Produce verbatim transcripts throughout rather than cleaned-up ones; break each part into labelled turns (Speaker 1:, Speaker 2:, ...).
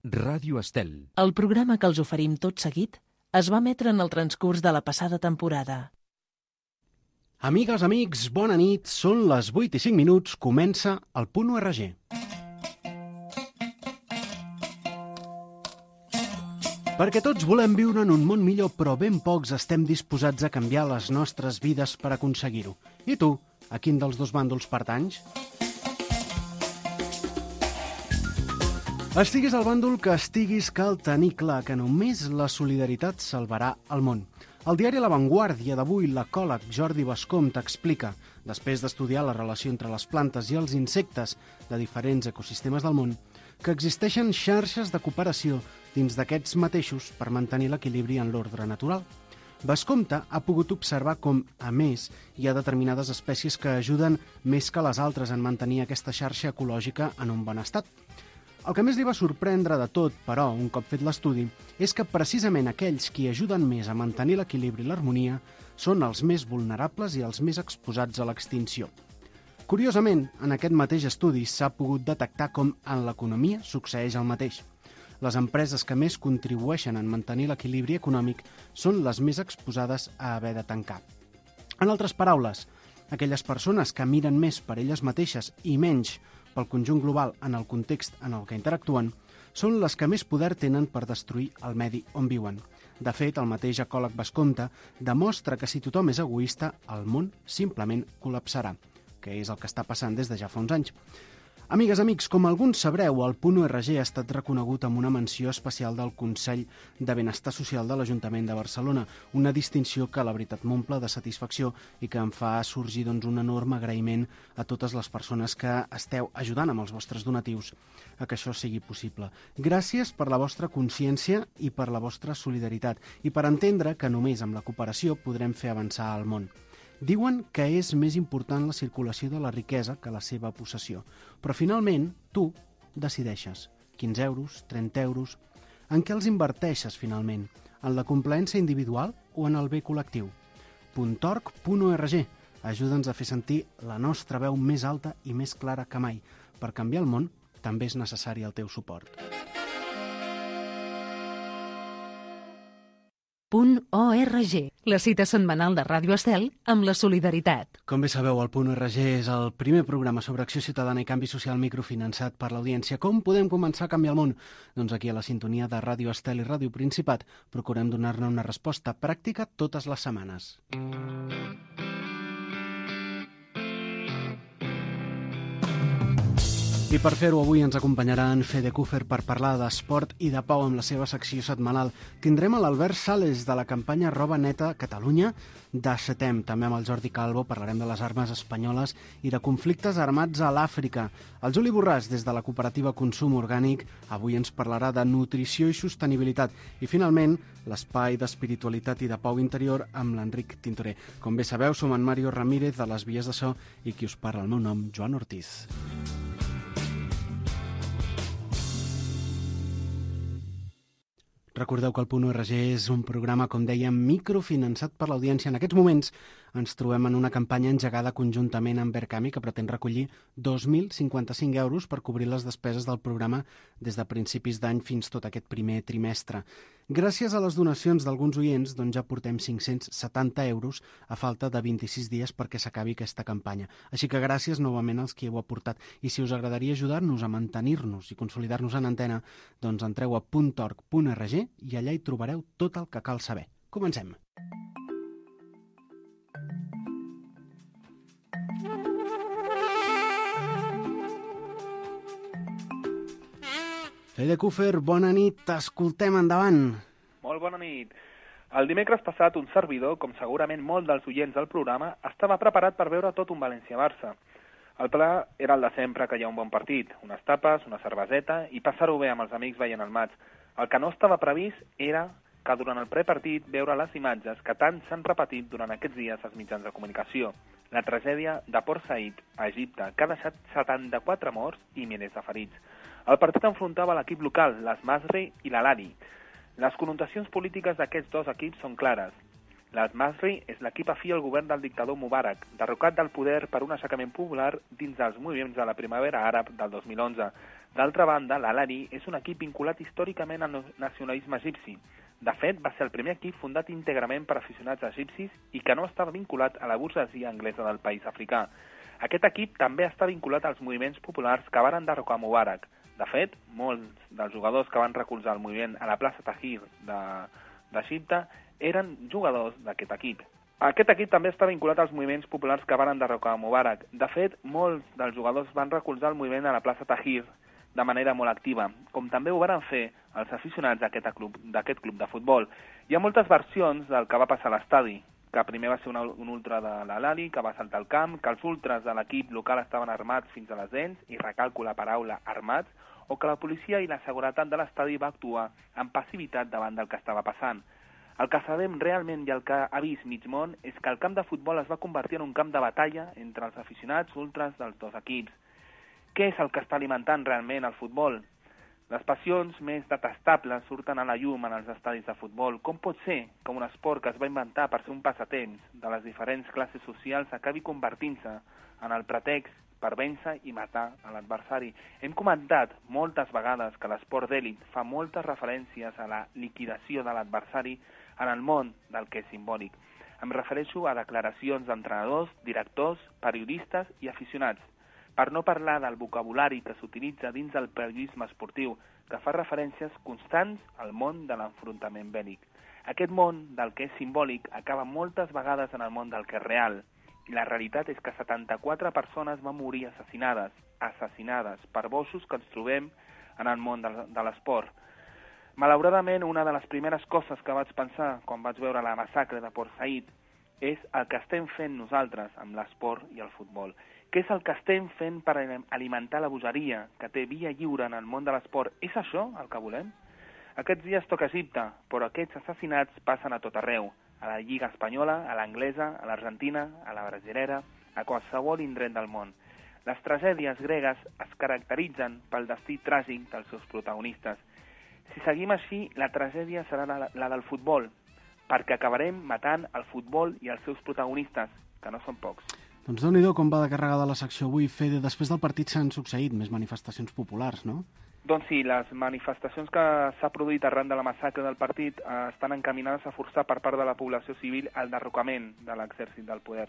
Speaker 1: Ràdio Estel.
Speaker 2: El programa que els oferim tot seguit es va emetre en el transcurs de la passada temporada.
Speaker 3: Amigues, amics, bona nit. Són les vuit i cinc minuts. Comença el Punt U R G. Perquè tots volem viure en un món millor, però ben pocs estem disposats a canviar les nostres vides per aconseguir-ho. I tu, a quin dels dos bàndols pertanys? Estiguis al bàndol que estiguis, cal tenir clar que només la solidaritat salvarà el món. Al diari La Vanguardia d'avui, l'ecòleg Jordi Bascom t'explica, després d'estudiar la relació entre les plantes i els insectes de diferents ecosistemes del món, que existeixen xarxes de cooperació dins d'aquests mateixos per mantenir l'equilibri en l'ordre natural. Bascomte ha pogut observar com, a més, hi ha determinades espècies que ajuden més que les altres en mantenir aquesta xarxa ecològica en un bon estat. El que més li va sorprendre de tot, però, un cop fet l'estudi, és que precisament aquells qui ajuden més a mantenir l'equilibri i l'harmonia són els més vulnerables i els més exposats a l'extinció. Curiosament, en aquest mateix estudi s'ha pogut detectar com en l'economia succeeix el mateix. Les empreses que més contribueixen en mantenir l'equilibri econòmic són les més exposades a haver de tancar. En altres paraules, aquelles persones que miren més per elles mateixes i menys pel conjunt global en el context en el que interactuen, són les que més poder tenen per destruir el medi on viuen. De fet, el mateix ecòleg Bascomte demostra que si tothom és egoista, el món simplement col·lapsarà, que és el que està passant des de ja fa uns anys. Amigues, amics, com alguns sabreu, el Punt U R G ha estat reconegut amb una menció especial del Consell de Benestar Social de l'Ajuntament de Barcelona, una distinció que la veritat m'omple de satisfacció i que em fa sorgir doncs, un enorme agraïment a totes les persones que esteu ajudant amb els vostres donatius a que això sigui possible. Gràcies per la vostra consciència i per la vostra solidaritat i per entendre que només amb la cooperació podrem fer avançar el món. Diuen que és més important la circulació de la riquesa que la seva possessió. Però finalment, tu decideixes. quinze euros, trenta euros... En què els inverteixes finalment? En la complaença individual o en el bé col·lectiu? punt org punt u erre ge. Ajuda'ns a fer sentir la nostra veu més alta i més clara que mai. Per canviar el món també és necessari el teu suport.
Speaker 2: Punt O R G, la cita setmanal de Ràdio Estel amb la solidaritat.
Speaker 3: Com bé sabeu, el Punt U R G és el primer programa sobre acció ciutadana i canvi social microfinançat per l'audiència. Com podem començar a canviar el món? Doncs aquí a la sintonia de Ràdio Estel i Ràdio Principat procurem donar-ne una resposta pràctica totes les setmanes. I per fer-ho avui ens acompanyarà en Fede Cúfer per parlar d'esport i de pau amb la seva secció setmanal. Tindrem a l'Albert Sales de la campanya Roba Neta Catalunya de Setem. També amb el Jordi Calvo parlarem de les armes espanyoles i de conflictes armats a l'Àfrica. El Juli Borràs, des de la cooperativa Consum Orgànic, avui ens parlarà de nutrició i sostenibilitat. I finalment, l'espai d'espiritualitat i de pau interior amb l'Enric Tintorer. Com bé sabeu, som en Mario Ramírez de les Vies de So i qui us parla, el meu nom, Joan Ortiz. Recordeu que el Punt U R G és un programa, com dèiem, microfinançat per l'audiència. En aquests moments ens trobem en una campanya engegada conjuntament amb Verkami que pretén recollir dos mil cinquanta-cinc euros per cobrir les despeses del programa des de principis d'any fins tot aquest primer trimestre. Gràcies a les donacions d'alguns oients, doncs ja portem cinc-cents setanta euros a falta de vint-i-sis dies perquè s'acabi aquesta campanya. Així que gràcies novament als qui heu aportat. I si us agradaria ajudar-nos a mantenir-nos i consolidar-nos en antena, doncs entreu a punt org punt erre ge i allà hi trobareu tot el que cal saber. Comencem. Fede Cúfer, bona nit, t'escoltem, endavant.
Speaker 4: Molt bona nit. El dimecres passat, un servidor, com segurament molt dels oients del programa, estava preparat per veure tot un València-Barça. El pla era el de sempre, que hi ha un bon partit, unes tapes, una cerveseta i passar-ho bé amb els amics veient el maig. El que no estava previst era que durant el prepartit veure les imatges que tant s'han repetit durant aquests dies als mitjans de comunicació. La tragèdia de Port Said, a Egipte, que ha deixat setanta-quatre morts i milers de ferits. El partit enfrontava l'equip local, l'Al-Masry i l'Al-Ahly. Les connotacions polítiques d'aquests dos equips són clares. L'Al-Masry és l'equip afí al govern del dictador Mubarak, derrocat del poder per un aixecament popular dins dels moviments de la primavera àrab del dos mil onze. D'altra banda, l'Al-Ahly és un equip vinculat històricament al nacionalisme egipci. De fet, va ser el primer equip fundat íntegrament per aficionats egipcis i que no estava vinculat a la burgesia anglesa del país africà. Aquest equip també està vinculat als moviments populars que van enderrocar Mubarak. De fet, molts dels jugadors que van recolzar el moviment a la plaça Tahrir d'Egipte eren jugadors d'aquest equip. Aquest equip també està vinculat als moviments populars que van enderrocar Mubarak. De fet, molts dels jugadors van recolzar el moviment a la plaça Tahrir de manera molt activa, com també ho van fer els aficionats d'aquest club, d'aquest club de futbol. Hi ha moltes versions del que va passar a l'estadi, que primer va ser una, un ultra de l'Al-Ahly, que va saltar al camp, que els ultras de l'equip local estaven armats fins a les dents, i recalco la paraula armats, o que la policia i la seguretat de l'estadi va actuar amb passivitat davant del que estava passant. El que sabem realment i el que ha vist mig món és que el camp de futbol es va convertir en un camp de batalla entre els aficionats ultras dels dos equips. Què és el que està alimentant realment el futbol? Les passions més detestables surten a la llum en els estadis de futbol. Com pot ser que un esport que es va inventar per ser un passatemps de les diferents classes socials acabi convertint-se en el pretext per vèncer i matar a l'adversari? Hem comentat moltes vegades que l'esport d'èlit fa moltes referències a la liquidació de l'adversari en el món del que és simbòlic. Em refereixo a declaracions d'entrenadors, directors, periodistes i aficionats, per no parlar del vocabulari que s'utilitza dins del periodisme esportiu, que fa referències constants al món de l'enfrontament bèl·lic. Aquest món del que és simbòlic acaba moltes vegades en el món del que és real, i la realitat és que setanta-quatre persones van morir assassinades, assassinades per bossos que ens trobem en el món de, de l'esport. Malauradament, una de les primeres coses que vaig pensar quan vaig veure la massacre de Port Said és el que estem fent nosaltres amb l'esport i el futbol. Què és el que estem fent per alimentar la bogeria que té via lliure en el món de l'esport? És això el que volem? Aquests dies toca Egipte, però aquests assassinats passen a tot arreu, a la Lliga Espanyola, a l'anglesa, a l'Argentina, a la brasilera, a qualsevol indret del món. Les tragèdies gregues es caracteritzen pel destí tràgic dels seus protagonistes. Si seguim així, la tragèdia serà la, la del futbol, perquè acabarem matant el futbol i els seus protagonistes, que no són pocs.
Speaker 3: Doncs déu-n'hi-do com va de carregada la secció avui, Fede. Després del partit s'han succeït més manifestacions populars, no?
Speaker 4: Doncs sí, les manifestacions que s'ha produït arran de la massacre del partit eh, estan encaminades a forçar per part de la població civil el derrocament de l'exèrcit del poder.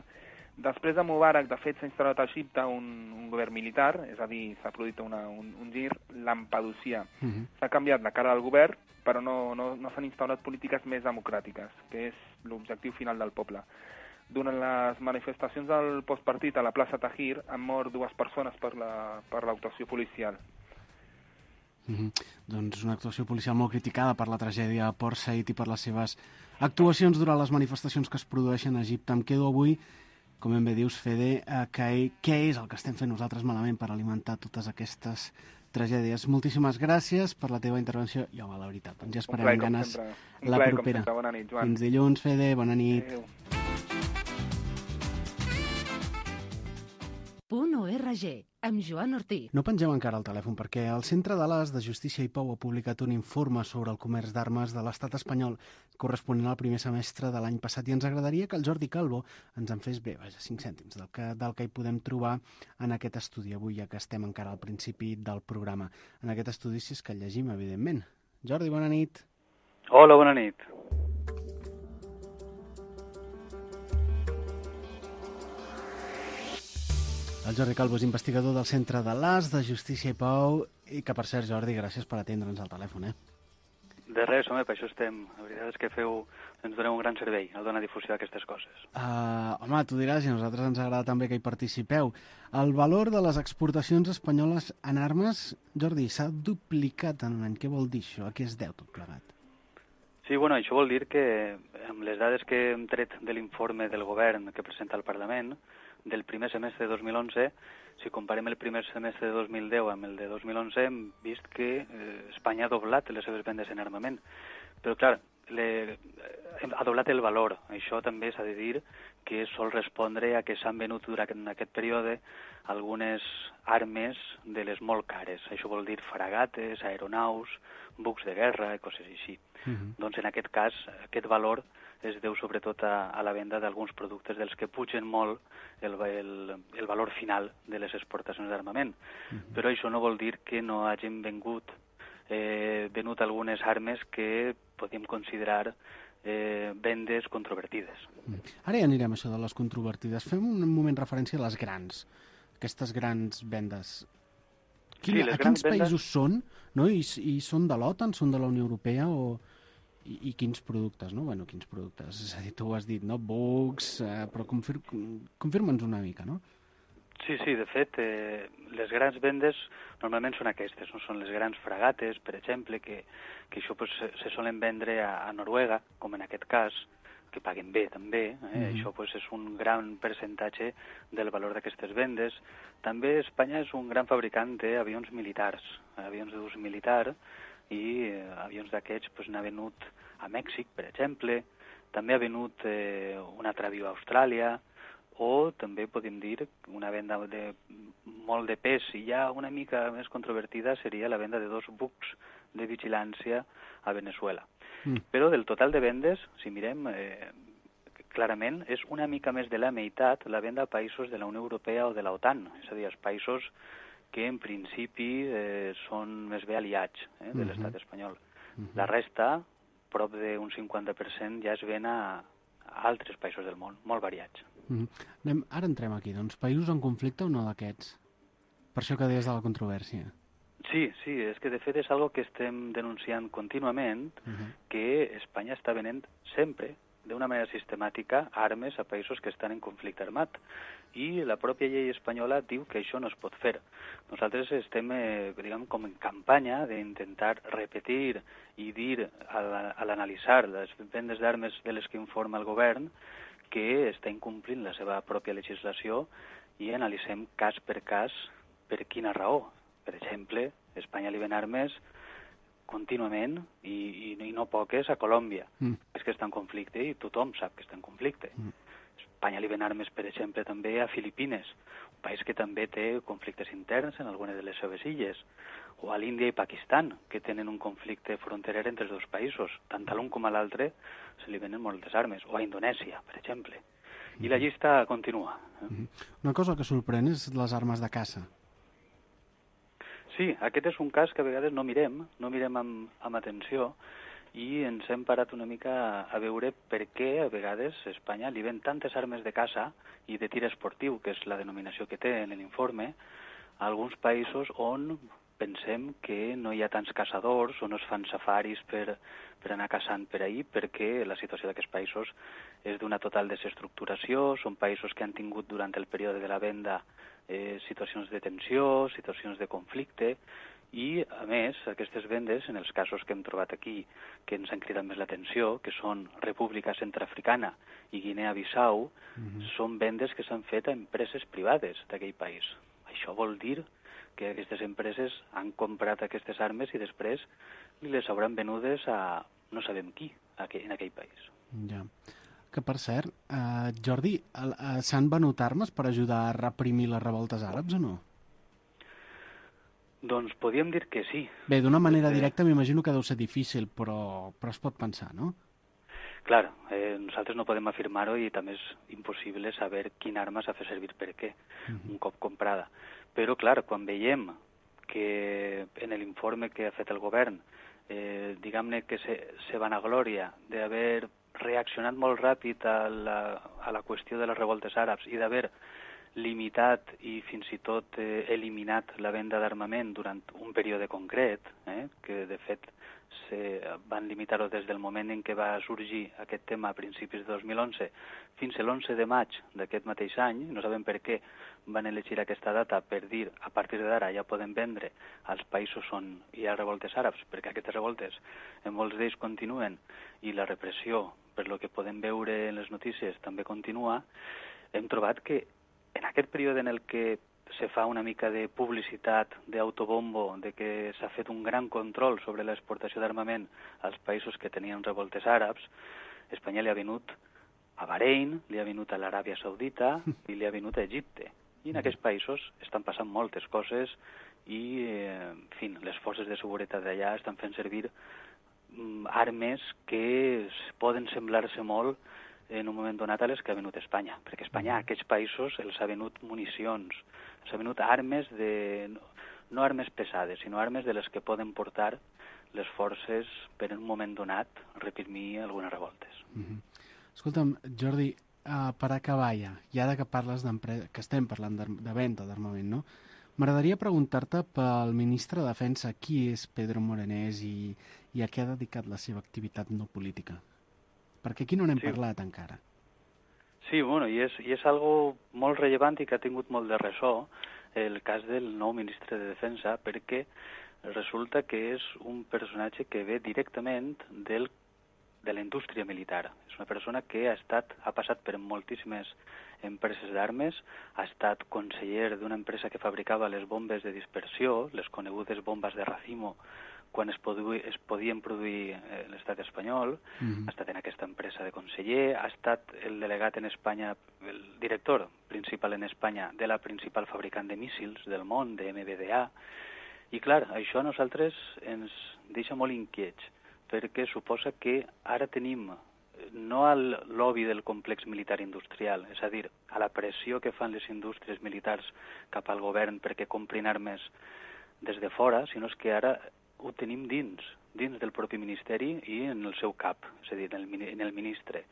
Speaker 4: Després de Mubarak, de fet, s'ha instal·lat a Egipte un, un govern militar, és a dir, s'ha produït una, un, un gir lampedusià. Uh -huh. S'ha canviat la cara del govern, però no, no, no s'han instal·lat polítiques més democràtiques, que és l'objectiu final del poble. Durant les manifestacions del postpartit a la plaça Tahrir han mort dues persones per la, per l'actuació policial.
Speaker 3: Mm-hmm. Doncs una actuació policial molt criticada per la tragèdia a Port Said i per les seves actuacions durant les manifestacions que es produeixen a Egipte. Em quedo avui, com ben bé dius, Fede, eh, que, què és el que estem fent nosaltres malament per alimentar totes aquestes tragèdies. Moltíssimes gràcies per la teva intervenció i, home, la veritat, ens ja esperem amb ganes la
Speaker 4: plaer,
Speaker 3: propera.
Speaker 4: Bona nit, Joan.
Speaker 3: Fins dilluns, Fede, bona nit.
Speaker 4: Adéu.
Speaker 1: Punt O R G, amb Joan Ortí.
Speaker 3: No pengeu encara el telèfon perquè el Centre de l'As de Justícia i Pau ha publicat un informe sobre el comerç d'armes de l'estat espanyol corresponent al primer semestre de l'any passat i ens agradaria que el Jordi Calvo ens en fes bé, vaja, cinc cèntims del que, del que hi podem trobar en aquest estudi avui, ja que estem encara al principi del programa. En aquest estudi, si és que el llegim, evidentment. Jordi, bona nit.
Speaker 5: Hola, bona nit.
Speaker 3: El Jordi Calvo és investigador del Centre de l'As de Justícia i Pau i que, per cert, Jordi, gràcies per atendre'ns al telèfon, eh?
Speaker 5: De res, home, per això estem. La veritat és que feu, ens doneu un gran servei al donar difusió d'aquestes coses.
Speaker 3: Uh, home, tu diràs, i a nosaltres ens agrada també que hi participeu. El valor de les exportacions espanyoles en armes, Jordi, s'ha duplicat en un any. Què vol dir això? A què es deu tot plegat?
Speaker 5: Sí, bueno, això vol dir que amb les dades que hem tret de l'informe del govern que presenta al Parlament, del primer semestre de dos mil onze, si comparem el primer semestre de dos mil deu amb el de dos mil onze, hem vist que eh, Espanya ha doblat les seves vendes en armament. Però, clar, le, ha doblat el valor. Això també s'ha de dir que sol respondre a que s'han venut durant aquest període algunes armes de les molt cares. Això vol dir fragates, aeronaus, bucs de guerra i coses així. Uh-huh. Doncs en aquest cas, aquest valor es deu sobretot a, a la venda d'alguns productes dels que pugen molt el, el, el valor final de les exportacions d'armament. Uh-huh. Però això no vol dir que no hagin vengut, eh, venut algunes armes que podríem considerar eh, vendes controvertides.
Speaker 3: Uh-huh. Ara ja anirem a això de les controvertides. Fem un moment referència a les grans, aquestes grans vendes. Quin, sí, a quins països vendes... són? No? I, I són de l'OTAN, són de la Unió Europea o... I, i quins productes, no? Bueno, quins productes? És a dir, tu ho has dit, no? Bucs, eh, però confir confirma'ns una mica, no?
Speaker 5: Sí, sí, de fet, eh, les grans vendes normalment són aquestes, no? Són les grans fragates, per exemple, que, que això pues, se solen vendre a, a Noruega, com en aquest cas, que paguen bé també, eh? Mm-hmm. Això pues, és un gran percentatge del valor d'aquestes vendes. També Espanya és un gran fabricant d'avions militars, avions d'ús militar, i eh, avions d'aquests pues, n'ha venut a Mèxic, per exemple, també ha venut eh, un altre avió a Austràlia, o també podem dir una venda de molt de pes, i ja una mica més controvertida seria la venda de dos bucs de vigilància a Venezuela. Mm. Però del total de vendes, si mirem, eh, clarament és una mica més de la meitat la venda a països de la Unió Europea o de l'OTAN, és a dir, els països que en principi eh, són més bé aliats eh, de l'estat espanyol. Uh-huh. La resta, prop d'un cinquanta per cent, ja es ven a, a altres països del món, molt variats.
Speaker 3: Uh-huh. Anem, ara entrem aquí, doncs, països en conflicte o no d'aquests? Per això que deies de la controvèrsia.
Speaker 5: Sí, sí, és que de fet és algo que estem denunciant contínuament, uh-huh. que Espanya està venent sempre, d'una manera sistemàtica, armes a països que estan en conflicte armat. I la pròpia llei espanyola diu que això no es pot fer. Nosaltres estem, eh, diguem, com en campanya d'intentar repetir i dir a l'analitzar les vendes d'armes de les que informa el govern que està incomplint la seva pròpia legislació i analitzem cas per cas per quina raó. Per exemple, Espanya li ven armes contínuament i, i, i no poques a Colòmbia, mm. és que està en conflicte i tothom sap que està en conflicte. Mm. Espanya li ven armes, per exemple, també a Filipines, un país que també té conflictes interns en algunes de les seves illes, o a l'Índia i Pakistan, que tenen un conflicte fronterer entre els dos països. Tant a l'un com a l'altre se li venen moltes armes, o a Indonèsia, per exemple. I mm. la llista continua. Eh?
Speaker 3: Mm. Una cosa que sorprèn és les armes de caça.
Speaker 5: Sí, aquest és un cas que a vegades no mirem, no mirem amb, amb atenció, i ens hem parat una mica a veure per què a vegades Espanya li ven tantes armes de caça i de tir esportiu, que és la denominació que té en l'informe, a alguns països on pensem que no hi ha tants caçadors o no es fan safaris per, per anar caçant per ahir, perquè la situació d'aquests països és d'una total desestructuració, són països que han tingut durant el període de la venda eh, situacions de tensió, situacions de conflicte, i, a més, aquestes vendes, en els casos que hem trobat aquí, que ens han cridat més l'atenció, que són República Centreafricana i Guinea-Bissau, mm-hmm. són vendes que s'han fet a empreses privades d'aquell país. Això vol dir que aquestes empreses han comprat aquestes armes i després les hauran venudes a no sabem qui en aquell país.
Speaker 3: Ja. Que, per cert, eh, Jordi, eh, s'han venut armes per ajudar a reprimir les revoltes àrabs o no?
Speaker 5: Doncs podríem dir que sí.
Speaker 3: Bé, d'una manera directa m'imagino que deu ser difícil, però, però es pot pensar, no?
Speaker 5: Clar, eh, nosaltres no podem afirmar-ho i també és impossible saber quina arma s'ha fet servir per què, uh-huh. un cop comprada. Però, clar, quan veiem que en l'informe que ha fet el govern, eh, diguem-ne que se, se vanaglòria d'haver reaccionat molt ràpid a la, a la qüestió de les revoltes àrabs i d'haver limitat i fins i tot eh, eliminat la venda d'armament durant un període concret, eh, que de fet se van limitar-ho des del moment en què va sorgir aquest tema a principis de dos mil onze fins a l'onze de maig d'aquest mateix any, no sabem per què van elegir aquesta data per dir a partir d'ara ja poden vendre als països on hi ha revoltes àrabs, perquè aquestes revoltes en molts d'ells continuen i la repressió, per lo que podem veure en les notícies, també continua. Hem trobat que en aquest període en el que se fa una mica de publicitat, d'autobombo, de que s'ha fet un gran control sobre l'exportació d'armament als països que tenien revoltes àrabs, Espanya li ha venut a Bahrein, li ha venut a l'Aràbia Saudita i li ha venut a Egipte. I en aquests països estan passant moltes coses i, eh, en fi, les forces de seguretat d'allà estan fent servir mm, armes que poden semblar-se molt en un moment donat a les que ha venut Espanya, perquè Espanya a aquests països els ha venut municions, els ha venut armes, de, no armes pesades, sinó armes de les que poden portar les forces per en un moment donat reprimir algunes revoltes.
Speaker 3: Mm-hmm. Escolta'm, Jordi, uh, per acabar ja, i ara que parles que estem parlant de venda d'armament, no? M'agradaria preguntar-te pel ministre de Defensa qui és Pedro Morenés i, i a què ha dedicat la seva activitat no política. Perquè aquí no n'hem sí. parlat encara.
Speaker 5: Sí, bueno, i és, i és algo molt rellevant i que ha tingut molt de ressò el cas del nou ministre de Defensa, perquè resulta que és un personatge que ve directament del, de la indústria militar. És una persona que ha estat ha passat per moltíssimes empreses d'armes, ha estat conseller d'una empresa que fabricava les bombes de dispersió, les conegudes bombes de racimo, quan es, produï, es podien produir eh, l'estat espanyol, mm-hmm. ha estat en aquesta empresa de conseller, ha estat el delegat en Espanya, el director principal en Espanya de la principal fabricant de míssils del món, de M B D A, i clar, això a nosaltres ens deixa molt inquiets, perquè suposa que ara tenim no al lobby del complex militar industrial, és a dir, a la pressió que fan les indústries militars cap al govern perquè comprin armes des de fora, sinó que ara ho tenim dins, dins del propi ministeri i en el seu cap, és a dir, en el, en el ministre.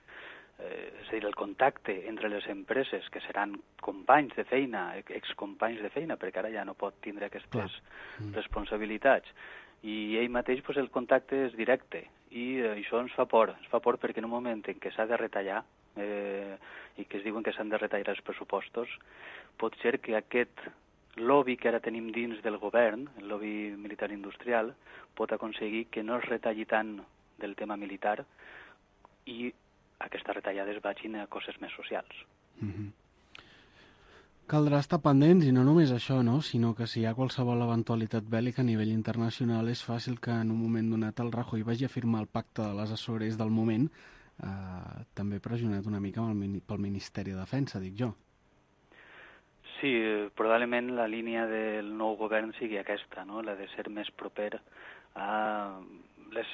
Speaker 5: Eh, és a dir, el contacte entre les empreses, que seran companys de feina, excompanys de feina, perquè ara ja no pot tindre aquestes mm. responsabilitats. I ell mateix, pues, el contacte és directe, i eh, això ens fa por. Ens fa por perquè en un moment en què s'ha de retallar, eh, i que es diuen que s'han de retallar els pressupostos, pot ser que aquest lobby que ara tenim dins del govern, el lobby militar industrial, pot aconseguir que no es retalli tant del tema militar i aquestes retallades vagin a coses més socials.
Speaker 3: Mm-hmm. Caldrà estar pendents, i no només això, no? Sinó que si hi ha qualsevol eventualitat bèl·lica a nivell internacional, és fàcil que en un moment donat el Rajoy vagi a firmar el pacte de les Açores del moment, eh, també pressionat una mica pel Ministeri de Defensa, dic jo.
Speaker 5: Sí, probablement la línia del nou govern sigui aquesta, no? La de ser més proper a les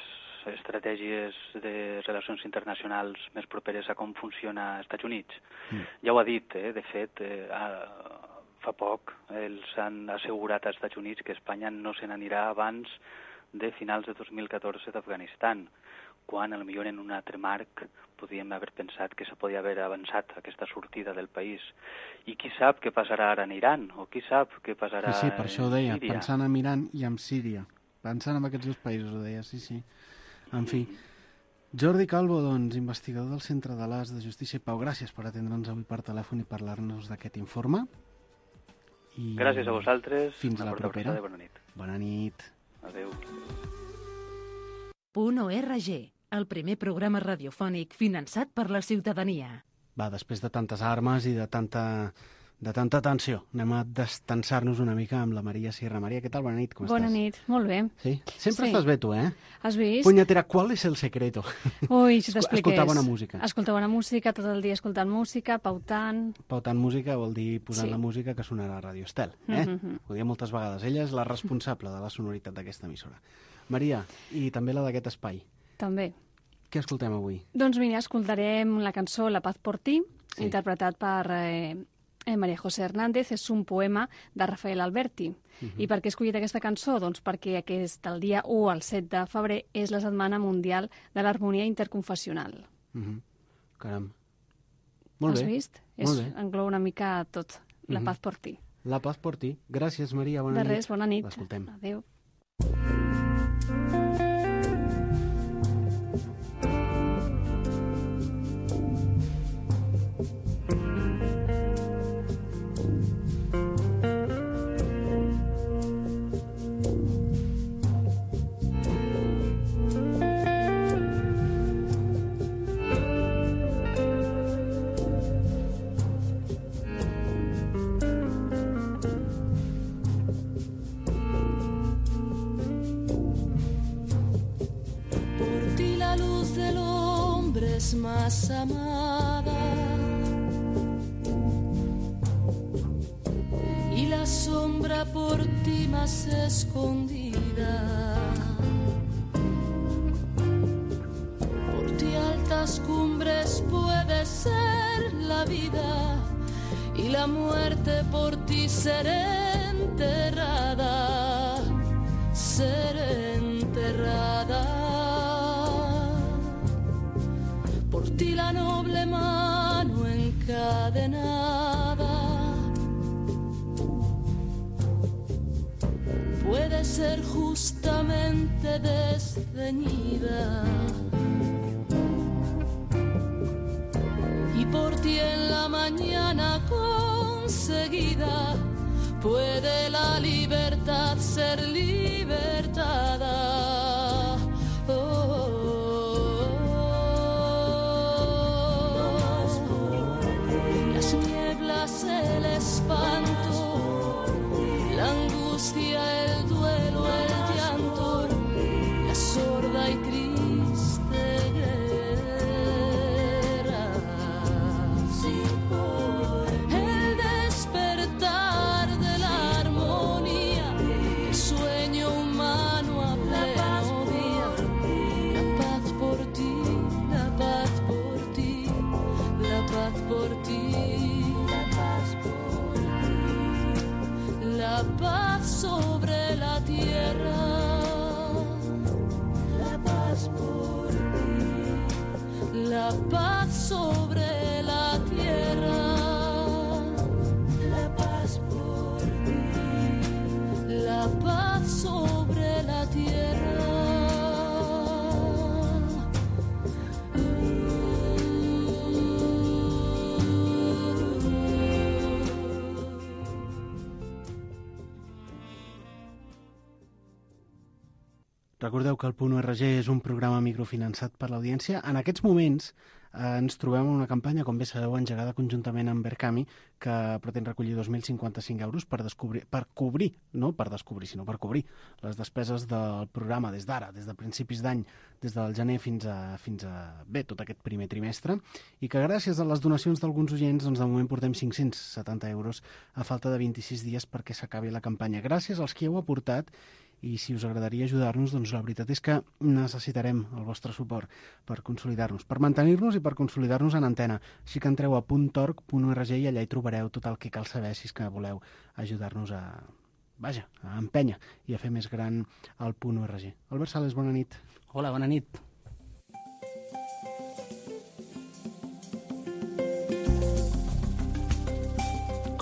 Speaker 5: estratègies de relacions internacionals més properes a com funciona als Estats Units. Mm. Ja ho ha dit, eh? De fet, eh, a, fa poc els han assegurat als Estats Units que Espanya no se n'anirà abans de finals de dos mil catorze d'Afganistan, quan potser en un altre marc podíem haver pensat que se podia haver avançat aquesta sortida del país. I qui sap què passarà ara en Iran, o qui sap què passarà
Speaker 3: sí, sí, per això ho deia,
Speaker 5: Síria.
Speaker 3: Pensant en Iran i en Síria. Pensant en aquests dos països, ho deia, sí, sí. En fi, Jordi Calvo, doncs, investigador del Centre de l'A S de Justícia i Pau, gràcies per atendre'ns avui per telèfon i parlar-nos d'aquest informe. I
Speaker 5: gràcies a vosaltres.
Speaker 3: Fins a la propera.
Speaker 5: Bona nit.
Speaker 3: Bona nit.
Speaker 5: Adéu.
Speaker 1: Punt O R G, el primer programa radiofònic finançat per la ciutadania.
Speaker 3: Va, després de tantes armes i de tanta, de tanta tensió, anem a destensar-nos una mica amb la Maria Sierra. Maria, què tal? Bona nit, com
Speaker 6: Bona
Speaker 3: estàs?
Speaker 6: Bona nit, molt bé.
Speaker 3: Sí? Sempre
Speaker 6: sí.
Speaker 3: estàs bé, tu, eh?
Speaker 6: Has vist?
Speaker 3: Punyetera, ¿cuál es el secreto?
Speaker 6: Ui, si t'expliqués.
Speaker 3: Escoltar bona música.
Speaker 6: Escoltar bona música, tot el dia escoltant música, pautant...
Speaker 3: Pautant música vol dir posant
Speaker 6: sí.
Speaker 3: la música que sonarà a Radio Estel, eh?
Speaker 6: Mm-hmm.
Speaker 3: Ho diu moltes vegades. Ella és la responsable de la sonoritat d'aquesta emissora. Maria, i també la d'aquest espai.
Speaker 6: També.
Speaker 3: Què escoltem avui?
Speaker 6: Doncs mira, escoltarem la cançó La paz por ti,
Speaker 3: sí.
Speaker 6: interpretat per eh, María José Hernández. És un poema de Rafael Alberti. Uh-huh. I per què he escollit aquesta cançó? Doncs perquè aquest, el dia u al set de febrer és la Setmana Mundial de l'Harmonia Interconfessional.
Speaker 3: Uh-huh. Caram. Molt
Speaker 6: Has
Speaker 3: bé.
Speaker 6: vist?
Speaker 3: Molt
Speaker 6: És,
Speaker 3: bé.
Speaker 6: Engloba una mica tot. La
Speaker 3: Uh-huh.
Speaker 6: paz por ti.
Speaker 3: La paz por ti. Gràcies, Maria. Bona
Speaker 6: de
Speaker 3: nit.
Speaker 6: res, bona nit.
Speaker 3: L'escoltem.
Speaker 6: Adéu.
Speaker 7: es más amada y la sombra por ti más escondida. Por ti altas cumbres puede ser la vida y la muerte por ti ser enterrada, ser enterrada. Por ti la noble mano encadenada puede ser justamente desceñida. Y por ti en la mañana conseguida puede la libertad ser libertada. Oh, oh, oh. Las nieblas, el espanto, la angustia, el duelo, el llanto, la sorda y triste guerra, el despertar de la armonía, el sueño humano a pleno día, la paz por ti, la paz por ti, la paz por ti, la paz por ti, la paz sobre la tierra, la paz por ti, la paz sobre la tierra, la paz por ti, la paz sobre la tierra.
Speaker 3: Recordeu que el Punt U R G és un programa microfinançat per l'audiència. En aquests moments eh, ens trobem en una campanya, com bé sabeu, engegada conjuntament amb Berkami, que pretén recollir dos mil cinquanta-cinc euros per, descobrir, per cobrir, no per descobrir, sinó per cobrir les despeses del programa des d'ara, des de principis d'any, des del gener fins a, fins a bé, tot aquest primer trimestre, i que gràcies a les donacions d'alguns oients, doncs de moment portem cinc-cents setanta euros a falta de vint-i-sis dies perquè s'acabi la campanya. Gràcies als qui heu aportat. I si us agradaria ajudar-nos, doncs la veritat és que necessitarem el vostre suport per consolidar-nos, per mantenir-nos i per consolidar-nos en antena. Així que entreu a punt org punt org i allà hi trobareu tot el que cal saber si és que voleu ajudar-nos a, vaja, a empènyer i a fer més gran el Punt U R G. Albert Sales, bona nit.
Speaker 8: Hola, bona nit.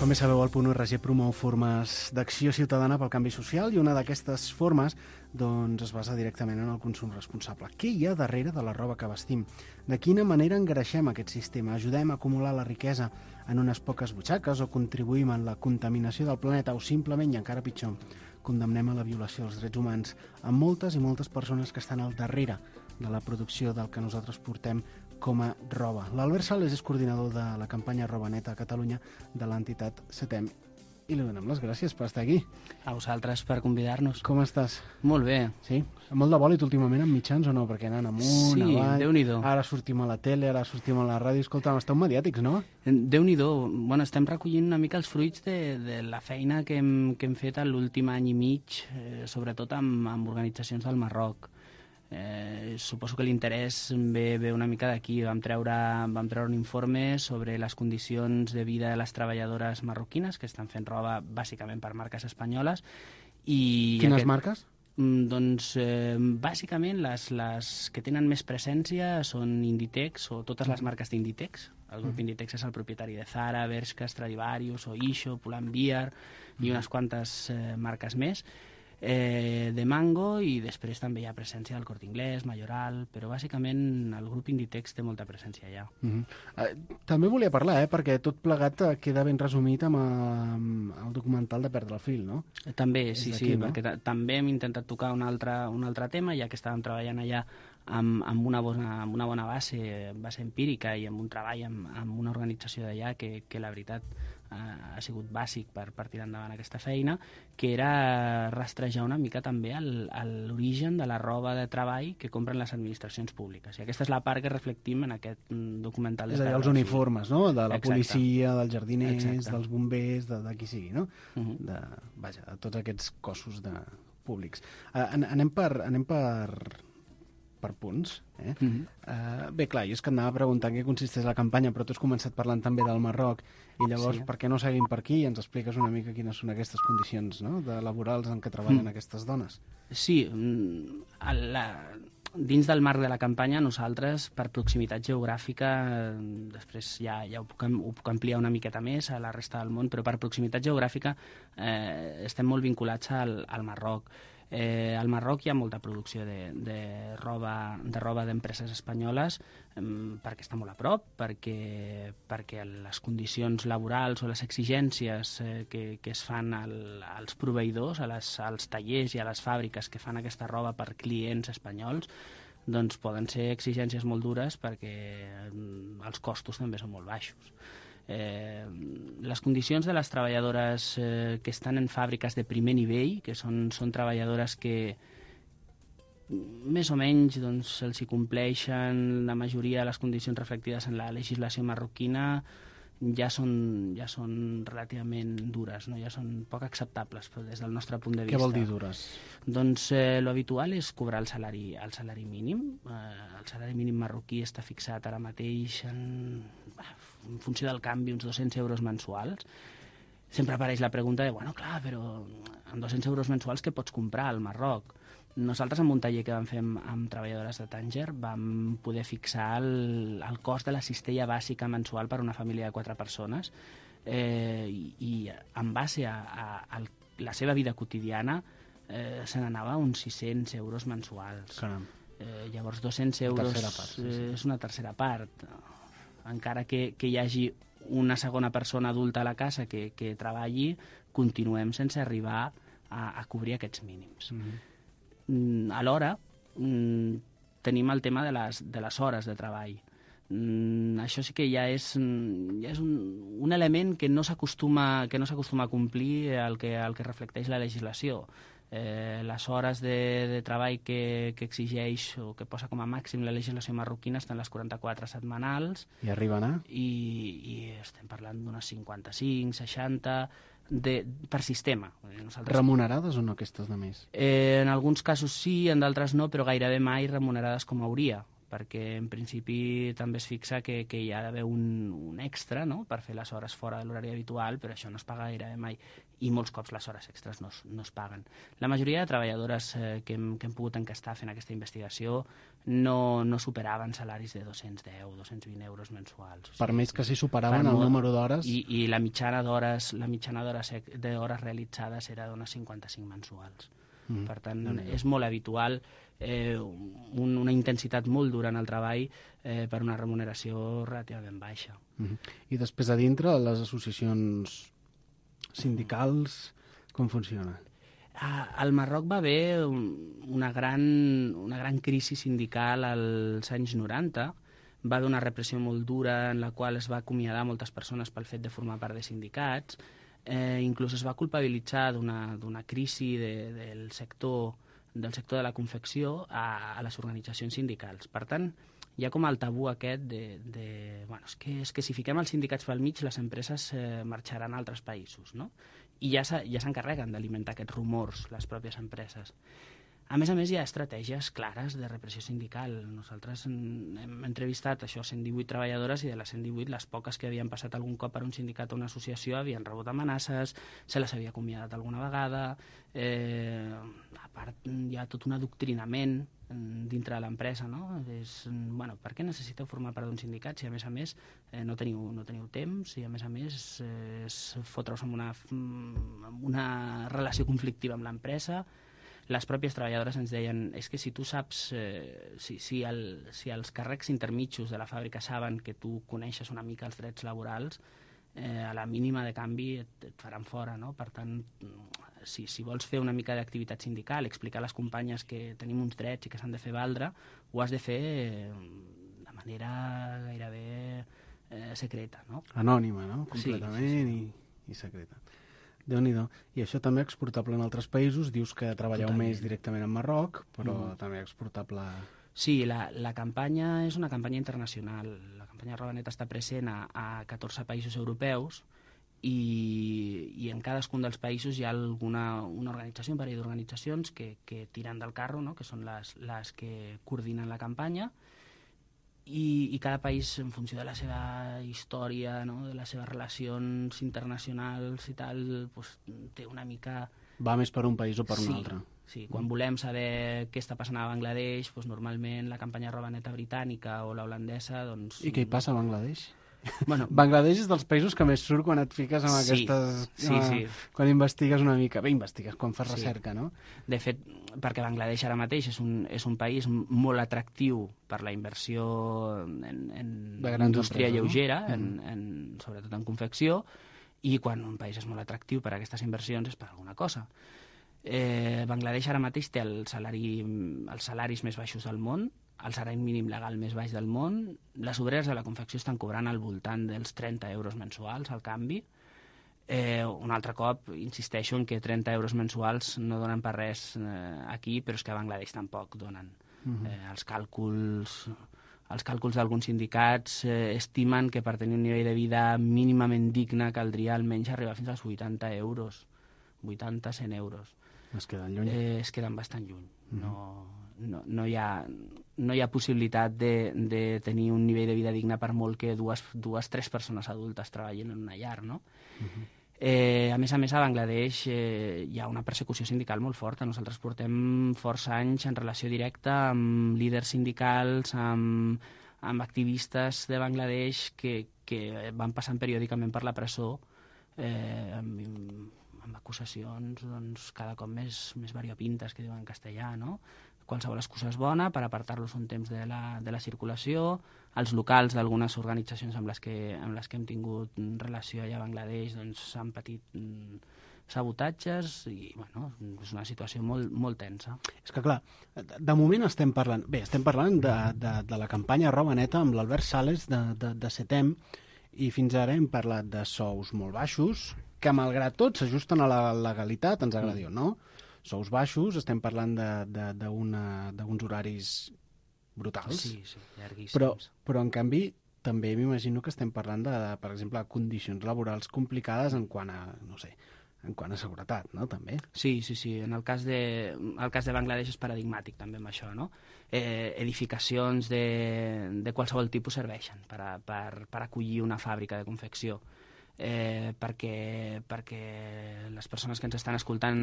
Speaker 3: Com bé sabeu, el Punt U R G promou formes d'acció ciutadana pel canvi social i una d'aquestes formes doncs, es basa directament en el consum responsable. Què hi ha darrere de la roba que vestim? De quina manera engreixem aquest sistema? Ajudem a acumular la riquesa en unes poques butxaques o contribuïm en la contaminació del planeta o simplement, i encara pitjor, condemnem a la violació dels drets humans a moltes i moltes persones que estan al darrere de la producció del que nosaltres portem com a roba. L'Albert Sales és coordinador de la campanya Roba Neta a Catalunya de l'entitat CETEM i li donem les gràcies per estar aquí.
Speaker 8: A vosaltres per convidar-nos.
Speaker 3: Com estàs?
Speaker 8: Molt bé.
Speaker 3: Sí? Molt de bòlit últimament amb mitjans o no? Perquè anant amunt,
Speaker 8: sí,
Speaker 3: avall...
Speaker 8: Déu-n'hi-do.
Speaker 3: Ara sortim a la tele, ara sortim a la ràdio. Escolta, esteu mediàtics, no?
Speaker 8: Déu-n'hi-do. Bueno, estem recollint una mica els fruits de, de la feina que hem, que hem fet l'últim any i mig, eh, sobretot amb, amb organitzacions del Marroc. Eh, suposo que l'interès ve, ve una mica d'aquí. Vam treure, vam treure un informe sobre les condicions de vida de les treballadores marroquines que estan fent roba bàsicament per marques espanyoles. I
Speaker 3: Quines
Speaker 8: aquest,
Speaker 3: marques?
Speaker 8: Doncs eh, bàsicament les, les que tenen més presència són Inditex o totes les marques d'Inditex. El grup Inditex és el propietari de Zara, Bershka, Stradivarius, Oysho, Pull&Bear i unes quantes eh, marques més. Eh, de Mango, i després també hi ha presència del Corte Inglés, Mayoral, però bàsicament el grup Inditex té molta presència allà.
Speaker 3: Uh-huh. eh, també volia parlar, eh, perquè tot plegat queda ben resumit amb, amb el documental de Perdre el fil, no?
Speaker 8: Eh, també,
Speaker 3: És
Speaker 8: sí,
Speaker 3: d'aquí,
Speaker 8: sí,
Speaker 3: no?
Speaker 8: perquè també hem intentat tocar un altre, un altre tema, ja que estàvem treballant allà amb, amb, una, bona, amb una bona base, base empírica i amb un treball amb, amb una organització d'allà que, que la veritat ha sigut bàsic per, per tirar endavant aquesta feina, que era rastrejar una mica també l'origen de la roba de treball que compren les administracions públiques. I aquesta és la part que reflectim en aquest documental.
Speaker 3: És a dir, els uniformes, no? De la
Speaker 8: Exacte.
Speaker 3: policia, dels jardiners,
Speaker 8: Exacte.
Speaker 3: dels bombers, de, de qui sigui, no?
Speaker 8: Uh-huh.
Speaker 3: De, vaja, de tots aquests cossos de públics. Uh, anem per... Anem per per punts. Eh? Uh-huh. uh, bé, clar, jo és que anava a preguntar en què consisteix la campanya, però tu has començat parlant també del Marroc, i llavors sí. Per què no seguim per aquí i ens expliques una mica quines són aquestes condicions, no?, de laborals en què treballen mm. aquestes dones?
Speaker 8: Sí, la, dins del marc de la campanya nosaltres, per proximitat geogràfica, després ja, ja ho, puc, ho puc ampliar una miqueta més a la resta del món, però per proximitat geogràfica eh, estem molt vinculats al, al Marroc. Eh, al Marroc hi ha molta producció de, de roba de roba d'empreses espanyoles eh, perquè està molt a prop, perquè, perquè les condicions laborals o les exigències eh, que, que es fan al, als proveïdors, a les, als tallers i a les fàbriques que fan aquesta roba per clients espanyols, doncs poden ser exigències molt dures perquè els costos també són molt baixos. Eh, les condicions de les treballadores eh, que estan en fàbriques de primer nivell, que són, són treballadores que més o menys doncs, se'ls hi compleixen la majoria de les condicions reflectides en la legislació marroquina, ja són, ja són relativament dures, no? Ja són poc acceptables des del nostre punt de vista.
Speaker 3: Què vol dir dures?
Speaker 8: Doncs eh, lo habitual és cobrar el salari, el salari mínim. Eh, el salari mínim marroquí està fixat ara mateix en, en funció del canvi, uns dos-cents euros mensuals. Sempre apareix la pregunta de, bueno, clar, però amb dos-cents euros mensuals què pots comprar al Marroc? Nosaltres, en un taller que vam fer amb, amb treballadores de Tànger, vam poder fixar el, el cost de la cistella bàsica mensual per a una família de quatre persones eh, i, i en base a, a, a la seva vida quotidiana eh, se n'anava uns sis-cents euros mensuals.
Speaker 3: Caram.
Speaker 8: Eh, llavors, dos-cents euros
Speaker 3: part, sí, sí.
Speaker 8: és una tercera part. Encara que, que hi hagi una segona persona adulta a la casa que, que treballi, continuem sense arribar a, a cobrir aquests mínims. Mm-hmm. Alhora, tenim el tema de les, de les hores de treball. Això sí que ja és, ja és un, un element que no s'acostuma que no s'acostuma a complir el que, el que reflecteix la legislació. Eh, les hores de, de treball que, que exigeix o que posa com a màxim la legislació marroquina estan les quaranta-quatre setmanals.
Speaker 3: I arriben a?
Speaker 8: I, i estem parlant d'unes cinquanta-cinc, seixanta... De, per sistema.
Speaker 3: Nosaltres... Remunerades o no aquestes de més?
Speaker 8: Eh, en alguns casos sí, en d'altres no, però gairebé mai remunerades com hauria, perquè en principi també es fixa que, que hi ha d'haver un, un extra, no?, per fer les hores fora de l'horari habitual, però això no es paga gairebé mai, i molts cops les hores extres no es, no es paguen. La majoria de treballadores eh, que, hem, que hem pogut encastar fent aquesta investigació no, no superaven salaris de dos-cents deu, dos-cents vint euros mensuals. O sigui,
Speaker 3: per més que s'hi superaven el número d'hores...
Speaker 8: I, i la mitjana d'hores la mitjana d'hores d'hores realitzades era d'unes cinquanta-cinc mensuals. Mm. Per tant, mm. és molt habitual eh, un, una intensitat molt dura en el treball eh, per una remuneració relativament baixa.
Speaker 3: Mm. I després a dintre, les associacions sindicals, com funciona?
Speaker 8: Al Marroc va haver una gran, una gran crisi sindical als anys noranta. Va haver una repressió molt dura en la qual es va acomiadar moltes persones pel fet de formar part de sindicats. Eh, inclús es va culpabilitzar d'una crisi de, del, sector, del sector de la confecció a, a les organitzacions sindicals. Per tant, hi ha com el tabú aquest de... de bueno, és, que, és que si fiquem els sindicats pel mig, les empreses eh, marxaran a altres països, no? I ja s'encarreguen ja d'alimentar aquests rumors les pròpies empreses. A més a més, hi ha estratègies clares de repressió sindical. Nosaltres hem entrevistat això cent divuit treballadores i de les cent divuit, les poques que havien passat algun cop per un sindicat o una associació havien rebut amenaces, se les havia acomiadat alguna vegada. Eh, a part, hi ha tot un adoctrinament dintre de l'empresa, no? És, bueno, per què necessiteu formar part d'un sindicat si a més a més eh, no, teniu, no teniu temps i a més a més eh, és fotre-us en una, en una relació conflictiva amb l'empresa. Les pròpies treballadores ens deien és que si tu saps, eh, si, si, el, si els càrrecs intermitjos de la fàbrica saben que tu coneixes una mica els drets laborals, eh, a la mínima de canvi et, et faran fora, no? Per tant, si, si vols fer una mica d'activitat sindical, explicar a les companyes que tenim uns drets i que s'han de fer valdre, ho has de fer eh, de manera gairebé eh, secreta, no?
Speaker 3: Anònima, no? Completament.
Speaker 8: Sí, sí, sí.
Speaker 3: I... i secreta. Déu-n'hi-do. I això també exportable en altres països. Dius que treballeu
Speaker 8: Totalment.
Speaker 3: més directament en Marroc, però
Speaker 8: Mm.
Speaker 3: també exportable...
Speaker 8: Sí, la, la campanya és una campanya internacional. La campanya Roba Neta està present a, a catorze països europeus i, i en cadascun dels països hi ha alguna una organització, un parell d'organitzacions que, que tiren del carro, no? Que són les, les que coordinen la campanya, i, i cada país, en funció de la seva història, no? De les seves relacions internacionals i tal, pues, té una mica...
Speaker 3: Va més per un país o per
Speaker 8: sí,
Speaker 3: un altre.
Speaker 8: Sí, quan volem saber què està passant a Bangladesh, doncs normalment la campanya Roba Neta britànica o la holandesa... Doncs,
Speaker 3: I què hi passa a Bangladesh?
Speaker 8: Bueno,
Speaker 3: Bangladesh és dels països que més surt quan et fiques en
Speaker 8: Sí,
Speaker 3: aquestes...
Speaker 8: sí,
Speaker 3: eh,
Speaker 8: sí.
Speaker 3: Quan investigues una mica. Bé, investigues, quan fas
Speaker 8: Sí.
Speaker 3: recerca, no?
Speaker 8: de fet, perquè Bangladesh ara mateix és un, és un país molt atractiu per la inversió en, en
Speaker 3: De grans
Speaker 8: indústria
Speaker 3: empreses, no?
Speaker 8: lleugera,
Speaker 3: Mm.
Speaker 8: en, en, sobretot en confecció, i quan un país és molt atractiu per a aquestes inversions és per alguna cosa. Eh, Bangladesh ara mateix té el salari, els salaris més baixos del món, el salari mínim legal més baix del món, les obreres de la confecció estan cobrant al voltant dels trenta euros mensuals al canvi. Eh, un altre cop insisteixo en que trenta euros mensuals no donen per res eh, aquí, però és que a Bangladesh tampoc donen.
Speaker 3: Mhm.
Speaker 8: eh, els càlculs els càlculs d'alguns sindicats eh, estimen que per tenir un nivell de vida mínimament digne caldria almenys arribar fins als vuitanta euros, vuitanta a cent euros.
Speaker 3: Es queden lluny.
Speaker 8: Eh, es queden bastant lluny. No, no, no, hi ha, no hi ha possibilitat de, de tenir un nivell de vida digne per molt que dues, dues tres persones adultes treballin en una llar, no?
Speaker 3: Mhm.
Speaker 8: Eh, a més a més, a Bangladesh eh, hi ha una persecució sindical molt forta. Nosaltres portem força anys en relació directa amb líders sindicals, amb, amb activistes de Bangladesh que, que van passant periòdicament per la presó eh, amb, amb acusacions doncs, cada cop més, més variopintes, que diuen en castellà, no? Qualsevol excusa és bona per apartar-los un temps de la, de la circulació. Els locals d'algunes organitzacions amb les, que, amb les que hem tingut relació allà a Bangladesh doncs, han patit mm, sabotatges i bueno, és una situació molt, molt tensa.
Speaker 3: És que, clar, de moment estem parlant... Bé, estem parlant de, de, de la campanya Roba Neta amb l'Albert Sales de, de, de Setem, i fins ara hem parlat de sous molt baixos, que malgrat tot s'ajusten a la legalitat, ens agradi o no. Sous baixos, estem parlant d'uns horaris brutals.
Speaker 8: Sí, sí, llarguíssims.
Speaker 3: Però, però en canvi, també m'imagino que estem parlant de, per exemple, condicions laborals complicades en quant a, no sé, en quant a seguretat, no?, també.
Speaker 8: Sí, sí, sí. En el cas de, el cas de Bangladesh és paradigmàtic també amb això, no? Eh, edificacions de, de qualsevol tipus serveixen per, a, per, per acollir una fàbrica de confecció. Eh, perquè, perquè les persones que ens estan escoltant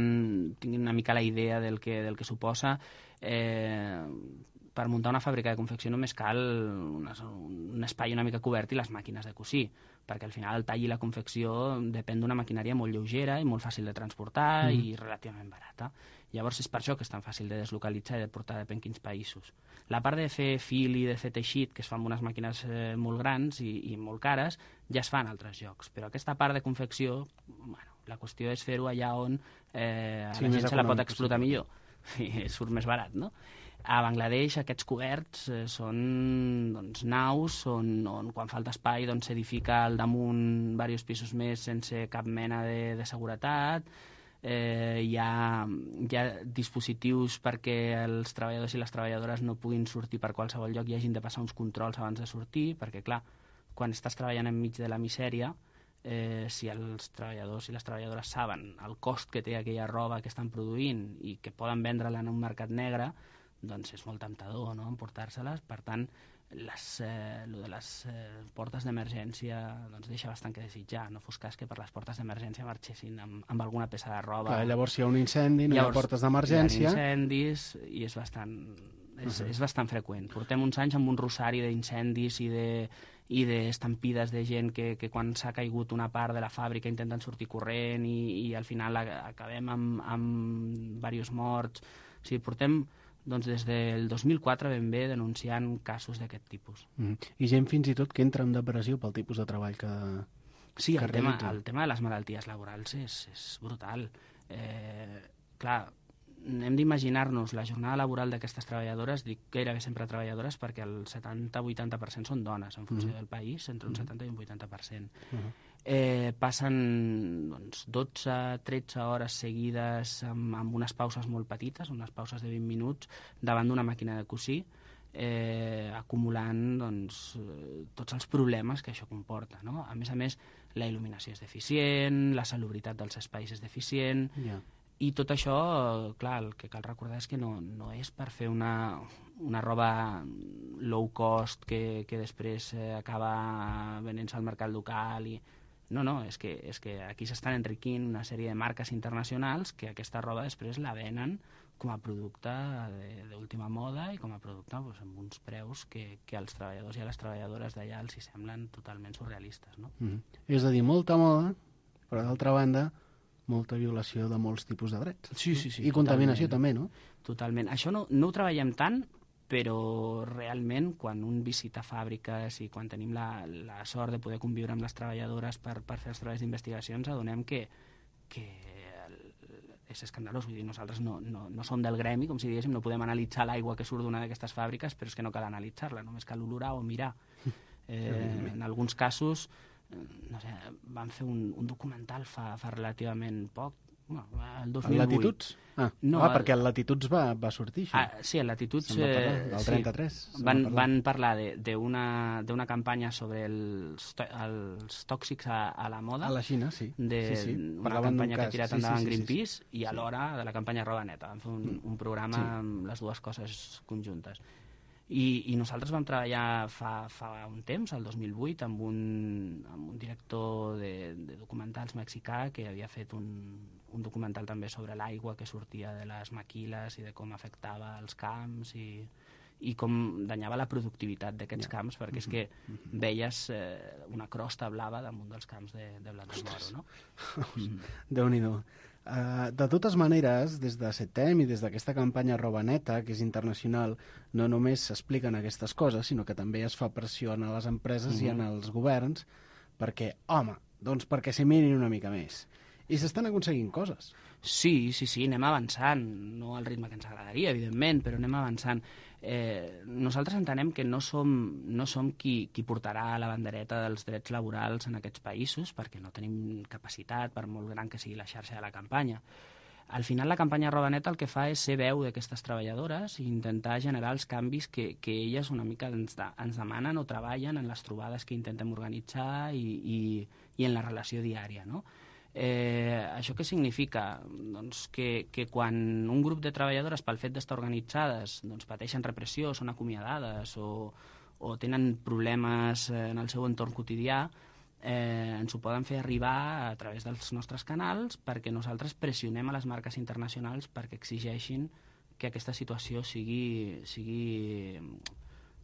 Speaker 8: tinguin una mica la idea del que, del que suposa. Eh, per muntar una fàbrica de confecció només cal una, un espai una mica cobert i les màquines de cosir, perquè al final el tall i la confecció depèn d'una maquinària molt lleugera i molt fàcil de transportar mm. i relativament barata. Llavors és per això que és tan fàcil de deslocalitzar i de portar depèn quins països. La part de fer fil i de fer teixit, que es fa amb unes màquines eh, molt grans i, i molt cares, ja es fa en altres llocs. Però aquesta part de confecció, bueno, la qüestió és fer-ho allà on eh,
Speaker 3: sí,
Speaker 8: la gent se la pot explotar
Speaker 3: possible.
Speaker 8: millor i surt més barat, no? A Bangladesh aquests coberts eh, són doncs, naus on, on quan falta espai doncs, s'edifica al damunt diversos pisos més sense cap mena de, de seguretat. Eh, hi, ha, hi ha dispositius perquè els treballadors i les treballadores no puguin sortir per qualsevol lloc i hagin de passar uns controls abans de sortir, perquè clar, quan estàs treballant enmig de la misèria, eh, si els treballadors i les treballadores saben el cost que té aquella roba que estan produint i que poden vendre-la en un mercat negre, doncs és molt temptador, no?, emportar-se-les. Per tant, les, eh, lo de les eh, portes d'emergència doncs deixa bastant que desitjar. No fos cas que per les portes d'emergència marxessin amb, amb alguna peça de roba.
Speaker 3: Clar, llavors si hi ha un incendi, no
Speaker 8: llavors,
Speaker 3: hi ha portes d'emergència.
Speaker 8: Hi ha incendis i és bastant, és, uh -huh. és bastant freqüent. Portem uns anys amb un rosari d'incendis i de i d'estampides de gent que, que quan s'ha caigut una part de la fàbrica intenten sortir corrent i, i al final acabem amb, amb diversos morts. O sigui, portem doncs des del dos mil quatre ben bé denunciant casos d'aquest tipus.
Speaker 3: Mm. I gent fins i tot que entra en depressió pel tipus de treball que
Speaker 8: Sí,
Speaker 3: que
Speaker 8: el tema,
Speaker 3: realitza.
Speaker 8: el tema de les malalties laborals és, és brutal. Eh, clar, hem d'imaginar-nos la jornada laboral d'aquestes treballadores, dic gairebé sempre treballadores perquè el setanta a vuitanta per cent són dones en funció
Speaker 3: Mm.
Speaker 8: del país, entre un setanta i un vuitanta per cent.
Speaker 3: Uh -huh.
Speaker 8: eh, passen doncs, dotze tretze hores seguides amb, amb unes pauses molt petites, unes pauses de vint minuts, davant d'una màquina de cosir, eh, acumulant doncs, tots els problemes que això comporta. No? A més a més, la il·luminació és deficient, la salubritat dels espais és deficient, yeah. I tot això, clar, el que cal recordar és que no, no és per fer una, una roba low cost que, que després eh, acaba venent-se al mercat local. I... No, no, és que, és que aquí s'estan enriquint una sèrie de marques internacionals que aquesta roba després la venen com a producte d'última moda i com a producte doncs, amb uns preus que, que als treballadors i a les treballadores d'allà els hi semblen totalment surrealistes. No?
Speaker 3: Mm. És a dir, molta moda, però d'altra banda molta violació de molts tipus de drets.
Speaker 8: Sí, sí, sí.
Speaker 3: I contaminació també, no?
Speaker 8: Totalment. Això no, no ho treballem tant, però realment quan un visita fàbriques i quan tenim la, la sort de poder conviure amb les treballadores per, per fer els treballs d'investigació, ens adonem que, que el, és escandalós. Vull dir, nosaltres no, no, no som del gremi, com si diguéssim, no podem analitzar l'aigua que surt d'una d'aquestes fàbriques, però és que no cal analitzar-la, només cal olorar o mirar. Eh, en alguns casos no sé, van fer un, un documental fa, fa relativament poc, bueno, el dos mil vuit.
Speaker 3: El Latituds? Ah, ah el... perquè el Latituds va, va sortir, això.
Speaker 8: Ah, sí, el Latituds...
Speaker 3: Eh, el trenta-tres.
Speaker 8: Sí, van, van parlar d'una campanya sobre els, els tòxics a, a la moda.
Speaker 3: A la Xina, sí.
Speaker 8: De,
Speaker 3: sí, sí.
Speaker 8: Una campanya que ha tirat
Speaker 3: sí,
Speaker 8: endavant
Speaker 3: sí, sí,
Speaker 8: Greenpeace
Speaker 3: sí, sí.
Speaker 8: i alhora de la campanya Roba Neta. Van fer un, un programa sí. amb les dues coses conjuntes. I, i nosaltres vam treballar fa, fa un temps, el dos mil vuit, amb un, amb un director de, de documentals mexicà que havia fet un, un documental també sobre l'aigua que sortia de les maquiles i de com afectava els camps i, i com danyava la productivitat d'aquests yeah. camps, perquè és que veies eh, una crosta blava damunt dels camps de, de blat de moro, no?
Speaker 3: Mm. Déu-n'hi-do. Uh, de totes maneres, des de CETEM i des d'aquesta campanya Roba Neta, que és internacional, no només s'expliquen aquestes coses, sinó que també es fa pressió a les empreses mm-hmm. i en els governs perquè, home, doncs perquè s'hi mirin una mica més. I s'estan aconseguint coses.
Speaker 8: Sí, sí, sí, anem avançant, no al ritme que ens agradaria, evidentment, però anem avançant. Eh, nosaltres entenem que no som, no som qui, qui portarà la bandereta dels drets laborals en aquests països, perquè no tenim capacitat, per molt gran que sigui la xarxa de la campanya. Al final, la campanya Roba Neta el que fa és ser veu d'aquestes treballadores i intentar generar els canvis que, que elles una mica ens, de, ens demanen o treballen en les trobades que intentem organitzar i, i, i en la relació diària, no? Eh, això què significa? Doncs que, que quan un grup de treballadores pel fet d'estar organitzades doncs pateixen repressió, són acomiadades o, o tenen problemes en el seu entorn quotidià, eh, ens ho poden fer arribar a través dels nostres canals perquè nosaltres pressionem a les marques internacionals perquè exigeixin que aquesta situació sigui, sigui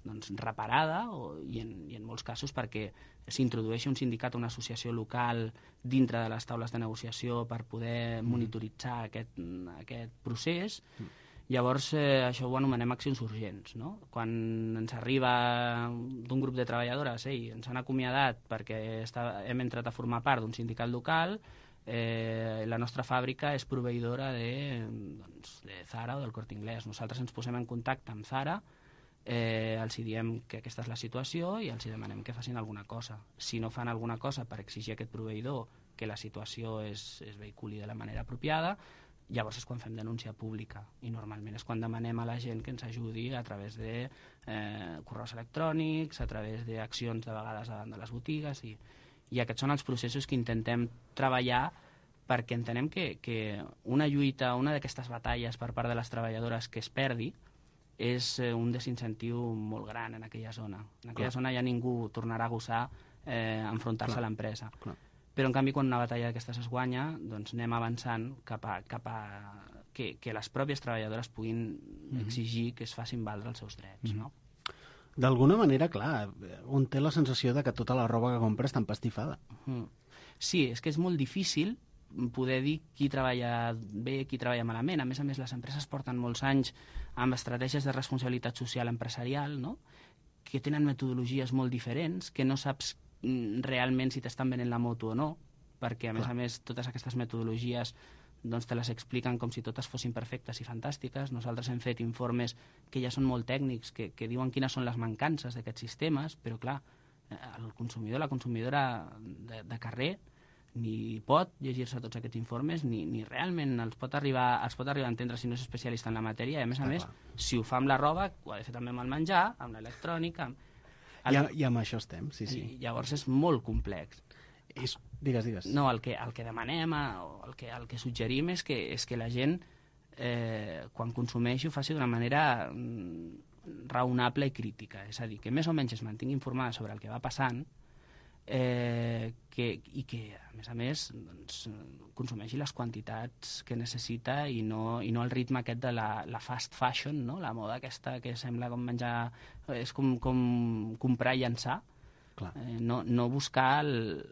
Speaker 8: doncs, reparada o, i, en, i en molts casos perquè s'introdueixi un sindicat o una associació local dintre de les taules de negociació per poder monitoritzar aquest, aquest procés. Mm. Llavors, eh, això ho anomenem accions urgents, no? Quan ens arriba d'un grup de treballadores, ei, ens han acomiadat perquè està, hem entrat a formar part d'un sindicat local, eh, la nostra fàbrica és proveïdora de, doncs, de Zara o del Corte Inglés. Nosaltres ens posem en contacte amb Zara, Eh, els diem que aquesta és la situació i els demanem que facin alguna cosa. Si no fan alguna cosa per exigir a aquest proveïdor que la situació es, es vehiculi de la manera apropiada, llavors és quan fem denúncia pública i normalment és quan demanem a la gent que ens ajudi a través de eh, correus electrònics, a través d'accions de vegades davant de les botigues i, i aquests són els processos que intentem treballar perquè entenem que, que una lluita, una d'aquestes batalles per part de les treballadores que es perdi és un desincentiu molt gran en aquella zona. En aquella Clar. zona ja ningú tornarà a gosar eh, enfrontar-se a l'empresa. Però, en canvi, quan una batalla d'aquestes es guanya, doncs anem avançant cap a, cap a que, que les pròpies treballadores puguin mm-hmm. exigir que es facin valdre els seus drets, mm-hmm. no?
Speaker 3: D'alguna manera, clar, un té la sensació de que tota la roba que compra està empastifada.
Speaker 8: Mm. Sí, és que és molt difícil poder dir qui treballa bé, qui treballa malament. A més a més, les empreses porten molts anys amb estratègies de responsabilitat social empresarial, no? Que tenen metodologies molt diferents, que no saps realment si t'estan venent la moto o no, perquè, a més a més, totes aquestes metodologies doncs te les expliquen com si totes fossin perfectes i fantàstiques. Nosaltres hem fet informes que ja són molt tècnics, que, que diuen quines són les mancances d'aquests sistemes, però, clar, el consumidor, la consumidora de, de carrer, ni pot llegir-se tots aquests informes, ni, ni realment els pot, arribar, els pot arribar a entendre si no és especialista en la matèria, i a més a més, si ho fa amb la roba, ho ha de fer també amb el menjar, amb l'electrònica... Amb...
Speaker 3: El... I, I amb això estem, sí, sí.
Speaker 8: I llavors és molt complex.
Speaker 3: És... Digues, digues.
Speaker 8: No, el que, el que demanem, o el que, el que suggerim és que, és que la gent, eh, quan consumeixi, ho faci d'una manera mm, raonable i crítica. És a dir, que més o menys es mantingui informada sobre el que va passant, eh, que, i que, a més a més, doncs, consumeixi les quantitats que necessita i no, i no el ritme aquest de la, la fast fashion, no? La moda aquesta que sembla com menjar... És com, com comprar i llançar. Clar. Eh, no, no buscar el,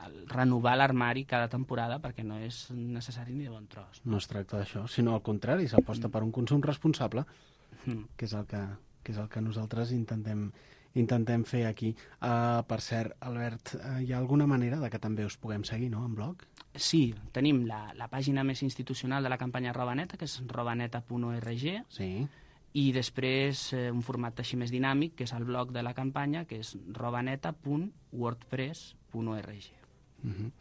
Speaker 8: el renovar l'armari cada temporada perquè no és necessari ni de bon tros.
Speaker 3: No es tracta d'això, sinó al contrari, s'aposta mm. per un consum responsable, mm. que, és el que, que és el que nosaltres intentem... intentem fer aquí. Uh, per cert, Albert, uh, hi ha alguna manera de que també us puguem seguir, no?, en blog?
Speaker 8: Sí, tenim la, la pàgina més institucional de la campanya Robaneta, que és robaneta punt org,
Speaker 3: sí.
Speaker 8: I després eh, un format així més dinàmic, que és el blog de la campanya, que és robaneta punt wordpress punt org.
Speaker 3: Uh-huh.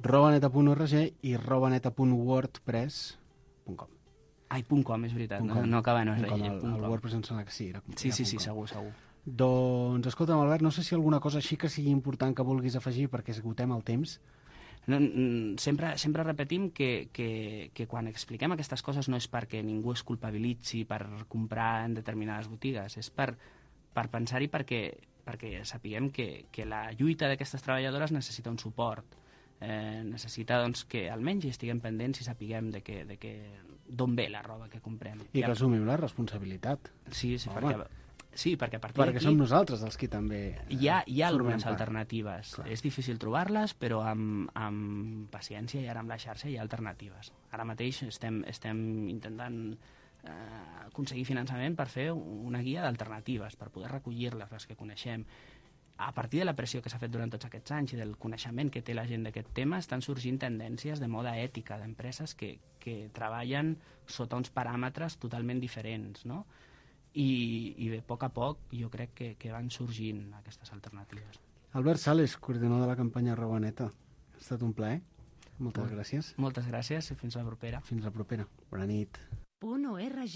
Speaker 3: robaneta punt org i robaneta punt wordpress punt com.
Speaker 8: Ai, punt .com, és veritat, no, no acaba en org.
Speaker 3: El, el WordPress em sembla que sí. Era,
Speaker 8: sí, sí, sí, segur, segur.
Speaker 3: Doncs, escolta'm, Albert, no sé si alguna cosa així que sigui important que vulguis afegir perquè esgotem el temps.
Speaker 8: No, sempre, sempre repetim que, que, que quan expliquem aquestes coses no és perquè ningú es culpabilitzi per comprar en determinades botigues, és per, per pensar-hi perquè, perquè sapiguem que, que la lluita d'aquestes treballadores necessita un suport, eh, necessita doncs, que almenys estiguem pendents i sapiguem de que, de que, d'on ve la roba que comprem.
Speaker 3: I que assumim la responsabilitat.
Speaker 8: Sí, sí, Home. perquè... Sí, perquè a partir
Speaker 3: perquè
Speaker 8: d'aquí...
Speaker 3: som nosaltres els que també... Eh,
Speaker 8: hi ha, hi ha algunes part. alternatives.
Speaker 3: Clar.
Speaker 8: És difícil trobar-les, però amb, amb paciència i ara amb la xarxa hi ha alternatives. Ara mateix estem, estem intentant eh, aconseguir finançament per fer una guia d'alternatives, per poder recollir-les, les que coneixem. A partir de la pressió que s'ha fet durant tots aquests anys i del coneixement que té la gent d'aquest tema, estan sorgint tendències de moda ètica d'empreses que, que treballen sota uns paràmetres totalment diferents, no? I, i bé, a poc a poc jo crec que, que van sorgint aquestes alternatives.
Speaker 3: Albert Sales, coordinador de la campanya Robaneta. Ha estat un plaer. Moltes
Speaker 8: Molt,
Speaker 3: gràcies.
Speaker 8: Moltes gràcies i fins la propera.
Speaker 3: Fins la propera. Bona nit.
Speaker 1: .org.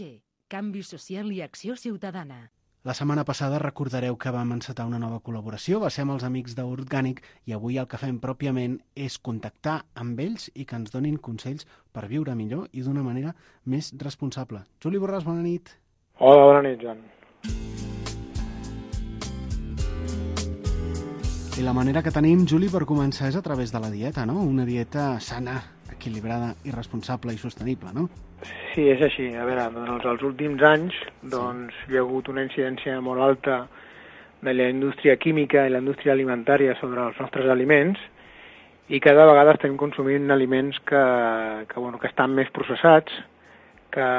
Speaker 1: Canvi social i acció ciutadana.
Speaker 3: La setmana passada recordareu que vam encetar una nova col·laboració, va ser amb els amics d'Orgànic, i avui el que fem pròpiament és contactar amb ells i que ens donin consells per viure millor i d'una manera més responsable. Juli Borràs, bona nit.
Speaker 9: Hola, bona nit, Joan.
Speaker 3: I la manera que tenim, Juli, per començar és a través de la dieta, no? Una dieta sana, equilibrada i responsable i sostenible, no?
Speaker 9: Sí, és així. A veure, doncs, els últims anys doncs, sí. hi ha hagut una incidència molt alta de la indústria química i la indústria alimentària sobre els nostres aliments i cada vegada estem consumint aliments que, que, bueno, que estan més processats, que,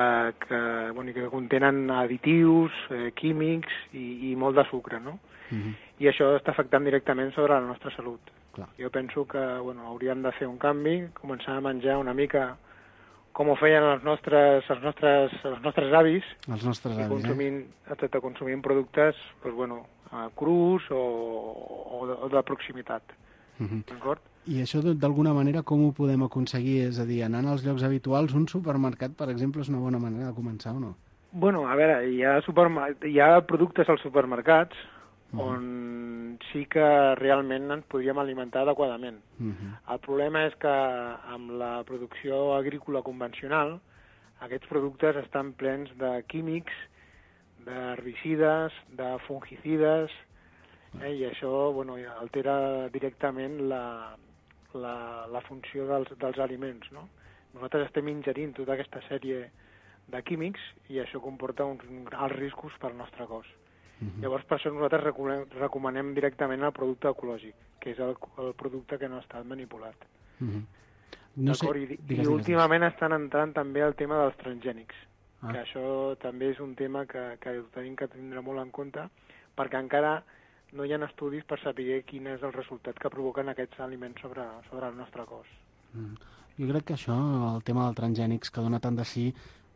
Speaker 9: que, bueno, que contenen additius, eh, químics i, i molt de sucre, no? Uh-huh. I això està afectant directament sobre la nostra salut.
Speaker 3: Clar.
Speaker 9: Jo penso que bueno, hauríem de fer un canvi, començar a menjar una mica com ho feien els nostres, els nostres, els nostres avis,
Speaker 3: els nostres avis,
Speaker 9: consumint, eh? consumint productes pues, bueno, crus o, o, de, o de proximitat.
Speaker 3: Uh-huh.
Speaker 9: D'acord?
Speaker 3: I això d'alguna manera com ho podem aconseguir? És a dir, anant als llocs habituals, un supermercat, per exemple, és una bona manera de començar o no?
Speaker 9: Bueno, a veure, hi ha, supermer... hi ha productes als supermercats uh-huh. on sí que realment ens podríem alimentar adequadament. Uh-huh. El problema és que amb la producció agrícola convencional aquests productes estan plens de químics, d'herbicides, de fungicides, eh, i això bueno, altera directament la, la, la funció dels, dels aliments, no? Nosaltres estem ingerint tota aquesta sèrie de químics i això comporta uns alts riscos pel nostre cos. Uh-huh. Llavors, per això nosaltres recomanem, recomanem directament el producte ecològic, que és el, el producte que no ha estat manipulat.
Speaker 3: Uh-huh. No sé,
Speaker 9: I,
Speaker 3: digues,
Speaker 9: i
Speaker 3: digues,
Speaker 9: últimament
Speaker 3: digues.
Speaker 9: estan entrant també el tema dels transgènics,
Speaker 3: ah.
Speaker 9: que això també és un tema que, que tenim que tindre molt en compte, perquè encara no hi ha estudis per saber quin és el resultat que provoquen aquests aliments sobre, sobre el nostre cos.
Speaker 3: Mm. Jo crec que això, el tema dels transgènics, que dona tant de sí,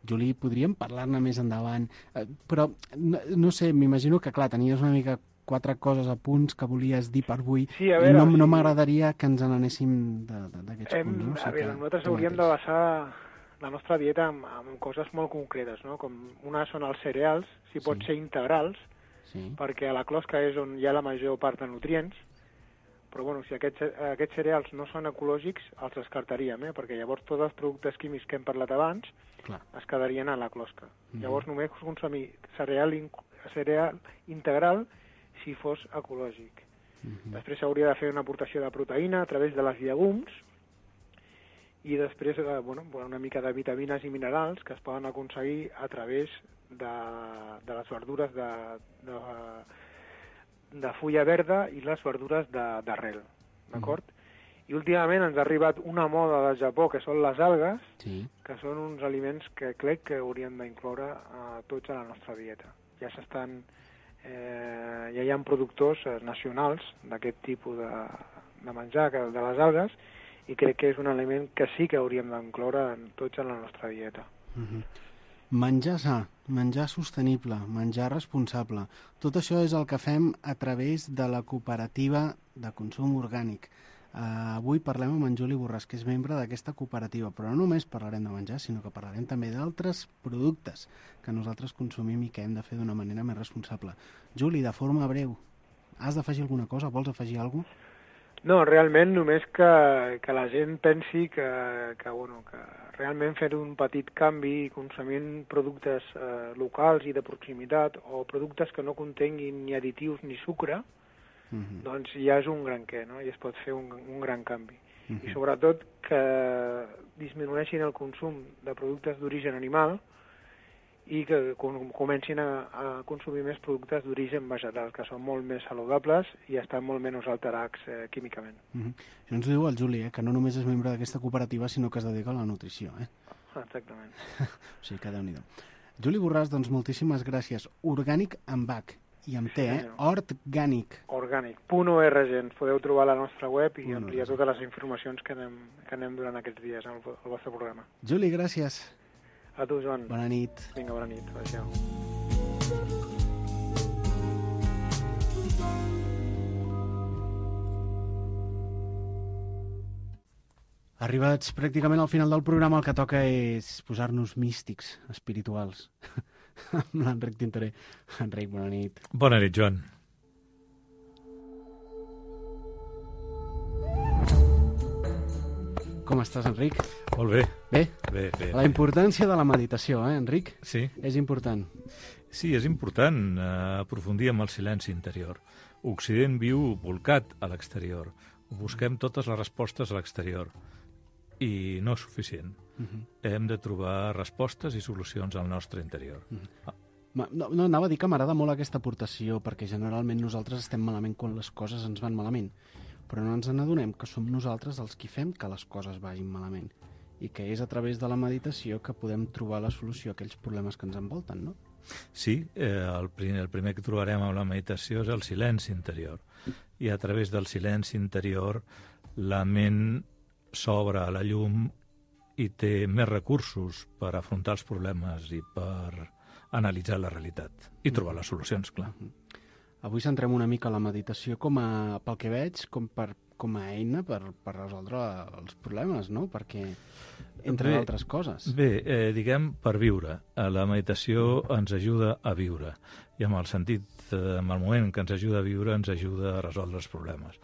Speaker 3: Juli, podríem parlar-ne més endavant, eh, però no, no sé, m'imagino que, clar, tenies una mica quatre coses a punts que volies dir per avui,
Speaker 9: sí, a
Speaker 3: i
Speaker 9: veure,
Speaker 3: no,
Speaker 9: sí.
Speaker 3: no m'agradaria que ens n'anéssim d'aquests punts. No? O
Speaker 9: A
Speaker 3: sigui
Speaker 9: veure,
Speaker 3: que
Speaker 9: nosaltres
Speaker 3: tu
Speaker 9: hauríem
Speaker 3: mateix.
Speaker 9: de basar la nostra dieta en, en coses molt concretes, no? Com una són els cereals, si pot
Speaker 3: Sí.
Speaker 9: ser integrals,
Speaker 3: Sí.
Speaker 9: perquè a la closca és on hi ha la major part de nutrients, però bueno, si aquests, aquests cereals no són ecològics, els descartaríem, eh? Perquè llavors tots els productes químics que hem parlat abans
Speaker 3: Clar.
Speaker 9: es quedarien a la closca.
Speaker 3: Mhm.
Speaker 9: Llavors només consumir cereal, in, cereal integral si fos ecològic.
Speaker 3: Mhm.
Speaker 9: Després s'hauria de fer una aportació de proteïna a través de les llegums i després eh, bueno, una mica de vitamines i minerals que es poden aconseguir a través de, de les verdures de, de, de fulla verda i les verdures d'arrel, d'acord? Mm. I últimament ens ha arribat una moda del Japó, que són les algues,
Speaker 3: Sí.
Speaker 9: que són uns aliments que crec que hauríem d'incloure a tots a la nostra dieta. Ja s'estan... Eh, ja hi ha productors eh, nacionals d'aquest tipus de, de menjar, que, de les algues, i crec que és un aliment que sí que hauríem d'incloure en tots a la nostra dieta.
Speaker 3: Mhm. Menjar sa, menjar sostenible, menjar responsable. Tot això és el que fem a través de la cooperativa de consum orgànic. Uh, avui parlem amb en Juli Borràs, que és membre d'aquesta cooperativa, però no només parlarem de menjar, sinó que parlarem també d'altres productes que nosaltres consumim i que hem de fer d'una manera més responsable. Juli, de forma breu, has d'afegir alguna cosa? Vols afegir alguna cosa?
Speaker 9: No, realment només que, que la gent pensi que, que, bueno, que realment fer un petit canvi consumint productes eh, locals i de proximitat o productes que no contenguin ni additius ni sucre,
Speaker 3: Uh-huh.
Speaker 9: doncs ja és un gran què, no? I es pot fer un, un gran canvi.
Speaker 3: Uh-huh.
Speaker 9: I sobretot que disminueixin el consum de productes d'origen animal i que com, comencin a, a consumir més productes d'origen vegetal, que són molt més saludables i estan molt menys alterats eh, químicament.
Speaker 3: Uh-huh. Això ens diu el Juli, eh, que no només és membre d'aquesta cooperativa, sinó que es dedica a la nutrició. Eh?
Speaker 9: Exactament.
Speaker 3: O sigui que Déu-n'hi-do. Juli Borràs, doncs moltíssimes gràcies. Orgànic amb H i amb T, eh? Orgànic.
Speaker 9: Orgànic. .org, ens podeu trobar a la nostra web i
Speaker 3: Punt
Speaker 9: ampliar
Speaker 3: org.
Speaker 9: totes les informacions que anem, que anem durant aquests dies al, al vostre programa.
Speaker 3: Juli, gràcies.
Speaker 9: A tu, Joan.
Speaker 3: Bona nit.
Speaker 9: Vinga, bona nit. Adéu.
Speaker 3: Arribats pràcticament al final del programa, el que toca és posar-nos místics, espirituals. Amb l'Enric Tintoré. Enric, bona nit.
Speaker 10: Bona nit, Joan.
Speaker 3: Com estàs, Enric?
Speaker 10: Molt bé.
Speaker 3: Bé?
Speaker 10: Bé, bé.
Speaker 3: La importància de la meditació, eh, Enric?
Speaker 10: Sí.
Speaker 3: És important.
Speaker 10: Sí, és important eh, aprofundir en el silenci interior. Occident viu volcat a l'exterior. Busquem totes les respostes a l'exterior. I no és suficient. Uh-huh. Hem de trobar respostes i solucions al nostre interior.
Speaker 3: Uh-huh. Ma, no, no, anava a dir que m'agrada molt aquesta aportació, perquè generalment nosaltres estem malament quan les coses ens van malament, però no ens n'adonem que som nosaltres els qui fem que les coses vagin malament, i que és a través de la meditació que podem trobar la solució a aquells problemes que ens envolten, no?
Speaker 10: Sí, eh, el, primer, el primer que trobarem amb la meditació és el silenci interior. I a través del silenci interior la ment s'obre a la llum i té més recursos per afrontar els problemes i per analitzar la realitat i trobar les solucions, clar.
Speaker 3: Avui centrem una mica la meditació com a, pel que veig, com, per, com a eina per, per resoldre els problemes, no? Perquè, entre
Speaker 10: bé,
Speaker 3: altres coses.
Speaker 10: Bé, eh, diguem, per viure. La meditació ens ajuda a viure. I amb el sentit, eh, en el moment que ens ajuda a viure, ens ajuda a resoldre els problemes.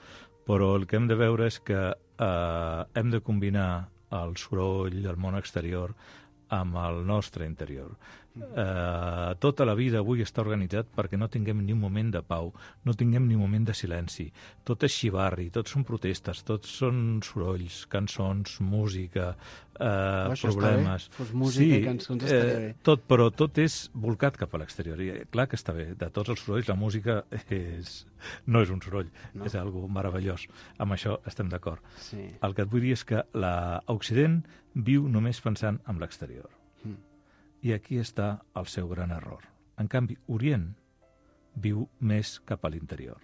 Speaker 10: Però el que hem de veure és que eh, hem de combinar el soroll del món exterior amb el nostre interior. Eh, tota la vida avui està organitzat perquè no tinguem ni un moment de pau, no tinguem ni un moment de silenci. Tot és xivarri, tot són protestes, tots són sorolls, cançons, música, eh, problemes.
Speaker 3: Fos música
Speaker 10: sí,
Speaker 3: i cançons estaria bé.
Speaker 10: Eh, tot, però tot és volcat cap a l'exterior. I clar que està bé, de tots els sorolls la música és, no és un soroll, no. És algo meravellós. Amb això estem d'acord.
Speaker 3: Sí.
Speaker 10: El que et vull dir és que l'Occident viu només pensant en l'exterior.
Speaker 3: Mm.
Speaker 10: I aquí està el seu gran error. En canvi, Orient viu més cap a l'interior.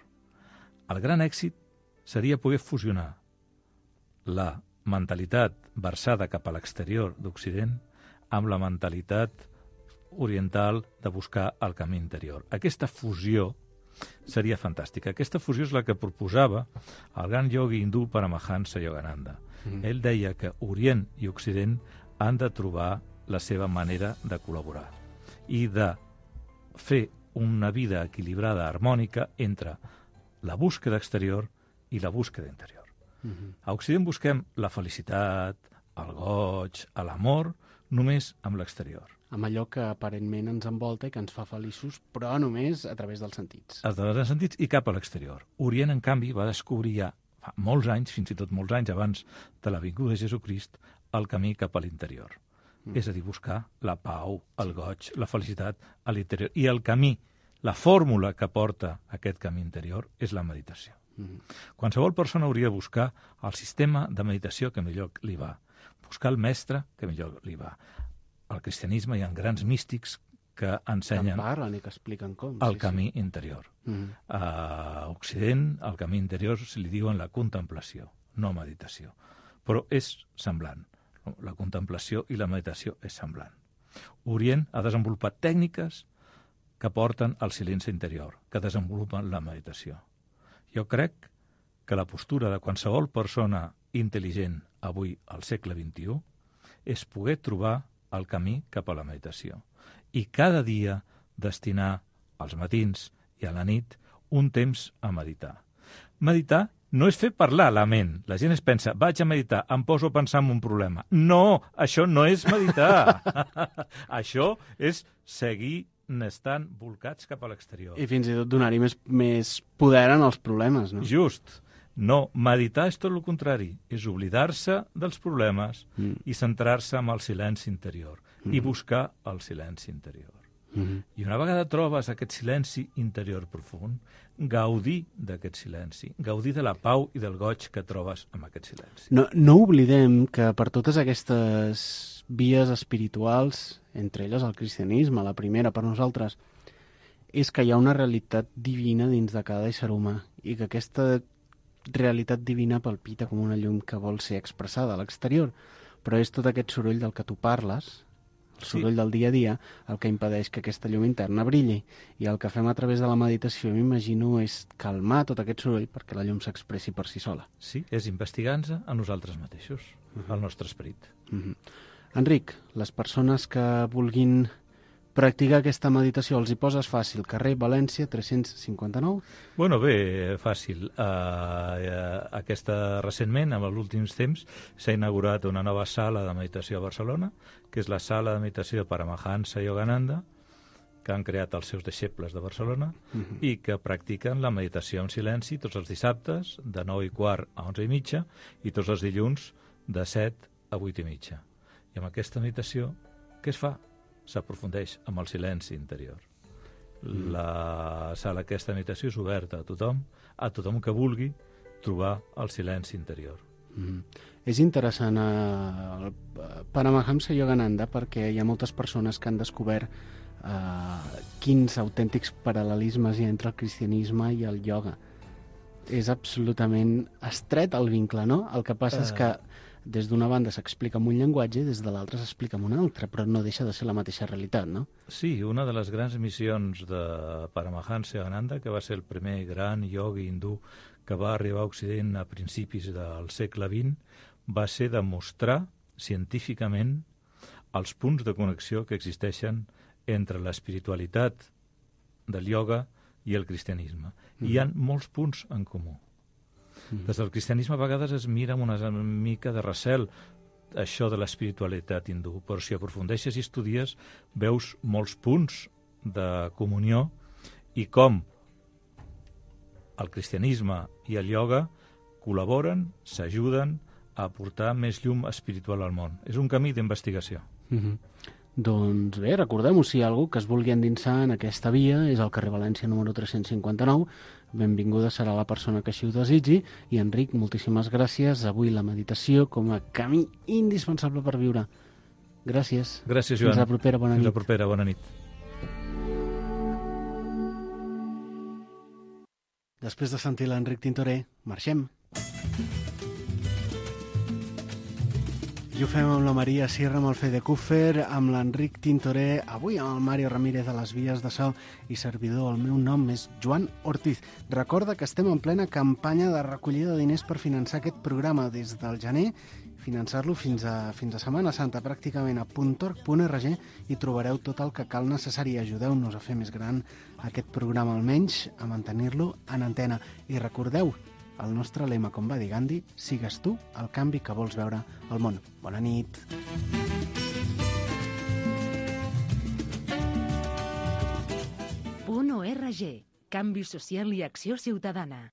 Speaker 10: El gran èxit seria poder fusionar la mentalitat versada cap a l'exterior d'Occident amb la mentalitat oriental de buscar el camí interior. Aquesta fusió seria fantàstica. Aquesta fusió és la que proposava el gran iogui hindú Paramahansa Yogananda. Mm. Ell deia que Orient i Occident han de trobar la seva manera de col·laborar i de fer una vida equilibrada, harmònica, entre la búsqueda exterior i la búsqueda interior. Mm-hmm. A Occident busquem la felicitat, el goig, l'amor, només amb l'exterior.
Speaker 3: Amb allò que aparentment ens envolta i que ens fa feliços, però només a través dels sentits.
Speaker 10: A través dels sentits i cap a l'exterior. Orient, en canvi, va descobrir ja fa molts anys, fins i tot molts anys abans de la vinguda de Jesucrist, el camí cap a l'interior. Mm. És a dir, buscar la pau, el goig, la felicitat a l'interior. I el camí, la fórmula que porta aquest camí interior és la meditació. Mm. Qualsevol persona hauria de buscar el sistema de meditació que millor li va, buscar el mestre que millor li va. Al cristianisme hi ha grans místics que ensenyen
Speaker 3: que parlen i que expliquen com,
Speaker 10: el
Speaker 3: sí,
Speaker 10: camí
Speaker 3: sí.
Speaker 10: interior.
Speaker 3: Mm.
Speaker 10: A Occident, el camí interior se li diuen la contemplació, no meditació. Però és semblant. La contemplació i la meditació és semblant. Orient ha desenvolupat tècniques que porten al silenci interior, que desenvolupen la meditació. Jo crec que la postura de qualsevol persona intel·ligent avui al segle vint-i-u és poder trobar el camí cap a la meditació i cada dia destinar als matins i a la nit un temps a meditar. Meditar no és fer parlar la ment. La gent es pensa, vaig a meditar, em poso a pensar en un problema. No, això no és meditar. Això és seguir estant volcats cap a l'exterior.
Speaker 3: I fins i tot donar-hi més, més poder en els problemes, no?
Speaker 10: Just. No, meditar és tot el contrari. És oblidar-se dels problemes mm. i centrar-se en el silenci interior mm. i buscar el silenci interior. Mm-hmm. I una vegada trobes aquest silenci interior profund, gaudir d'aquest silenci, gaudir de la pau i del goig que trobes amb aquest silenci.
Speaker 3: No, no oblidem que per totes aquestes vies espirituals, entre elles el cristianisme, la primera per nosaltres, és que hi ha una realitat divina dins de cada ésser humà i que aquesta realitat divina palpita com una llum que vol ser expressada a l'exterior, però és tot aquest soroll del que tu parles, el soroll sí. del dia a dia, el que impedeix que aquesta llum interna brilli. I el que fem a través de la meditació, m'imagino, és calmar tot aquest soroll perquè la llum s'expressi per si sola.
Speaker 10: Sí, és investigar-nos a nosaltres mateixos, uh-huh. al nostre esperit.
Speaker 3: Uh-huh. Enric, les persones que vulguin practicar aquesta meditació, els hi poses fàcil, carrer València tres-cents cinquanta-nou?
Speaker 10: Bueno, bé, fàcil. Uh, aquesta, recentment, en els últims temps, s'ha inaugurat una nova sala de meditació a Barcelona, que és la sala de meditació de Paramahansa Yogananda, que han creat els seus deixebles de Barcelona, uh-huh. i que practiquen la meditació en silenci tots els dissabtes, de nou i quart a onze i mitja, i tots els dilluns, de set a vuit i mitja. I amb aquesta meditació, què es fa? S'aprofundeix amb el silenci interior. Mm. La sala aquesta meditació és oberta a tothom, a tothom que vulgui trobar el silenci interior.
Speaker 3: Mm. És interessant el Paramahansa Yogananda perquè hi ha moltes persones que han descobert uh, quins autèntics paral·lelismes hi ha entre el cristianisme i el ioga. És absolutament estret el vincle, no? El que passa uh... és que des d'una banda s'explica amb un llenguatge i des de l'altra s'explica amb un altre, però no deixa de ser la mateixa realitat, no?
Speaker 10: Sí, una de les grans missions de Paramahansa Yogananda, que va ser el primer gran iogui hindú que va arribar a Occident a principis del segle vint, va ser demostrar científicament els punts de connexió que existeixen entre l'espiritualitat del ioga i el cristianisme. Mm. Hi ha molts punts en comú. Des del cristianisme a vegades es mira amb una mica de recel això de l'espiritualitat hindú, però si aprofundeixes i estudies veus molts punts de comunió i com el cristianisme i el ioga col·laboren, s'ajuden a aportar més llum espiritual al món. És un camí d'investigació.
Speaker 3: Mm-hmm. Doncs bé, recordem-ho, si hi ha algú que es vulgui endinsar en aquesta via, és al carrer València número tres-cents cinquanta-nou, benvinguda serà la persona que així ho desitgi, i Enric, moltíssimes gràcies. Avui la meditació com a camí indispensable per viure. Gràcies.
Speaker 10: Gràcies, Joan.
Speaker 3: Fins la propera, bona nit.
Speaker 10: Fins la propera, bona nit.
Speaker 3: Després de sentir l'Enric Tintoré, marxem. I ho fem amb la Maria Sierra, amb el Fede Cúfer, amb l'Enric Tintoré, avui amb el Mario Ramírez a les vies de so i servidor. El meu nom és Joan Ortiz. Recorda que estem en plena campanya de recollida de diners per finançar aquest programa des del gener, finançar-lo fins a, fins a Setmana Santa, pràcticament a punt org punt org, i trobareu tot el que cal necessari. Ajudeu-nos a fer més gran aquest programa, almenys a mantenir-lo en antena. I recordeu, el nostre lema, com va dir Gandhi, sigues tu el canvi que vols veure al món. Bona nit.
Speaker 1: Punt org. Canvi social i acció ciutadana.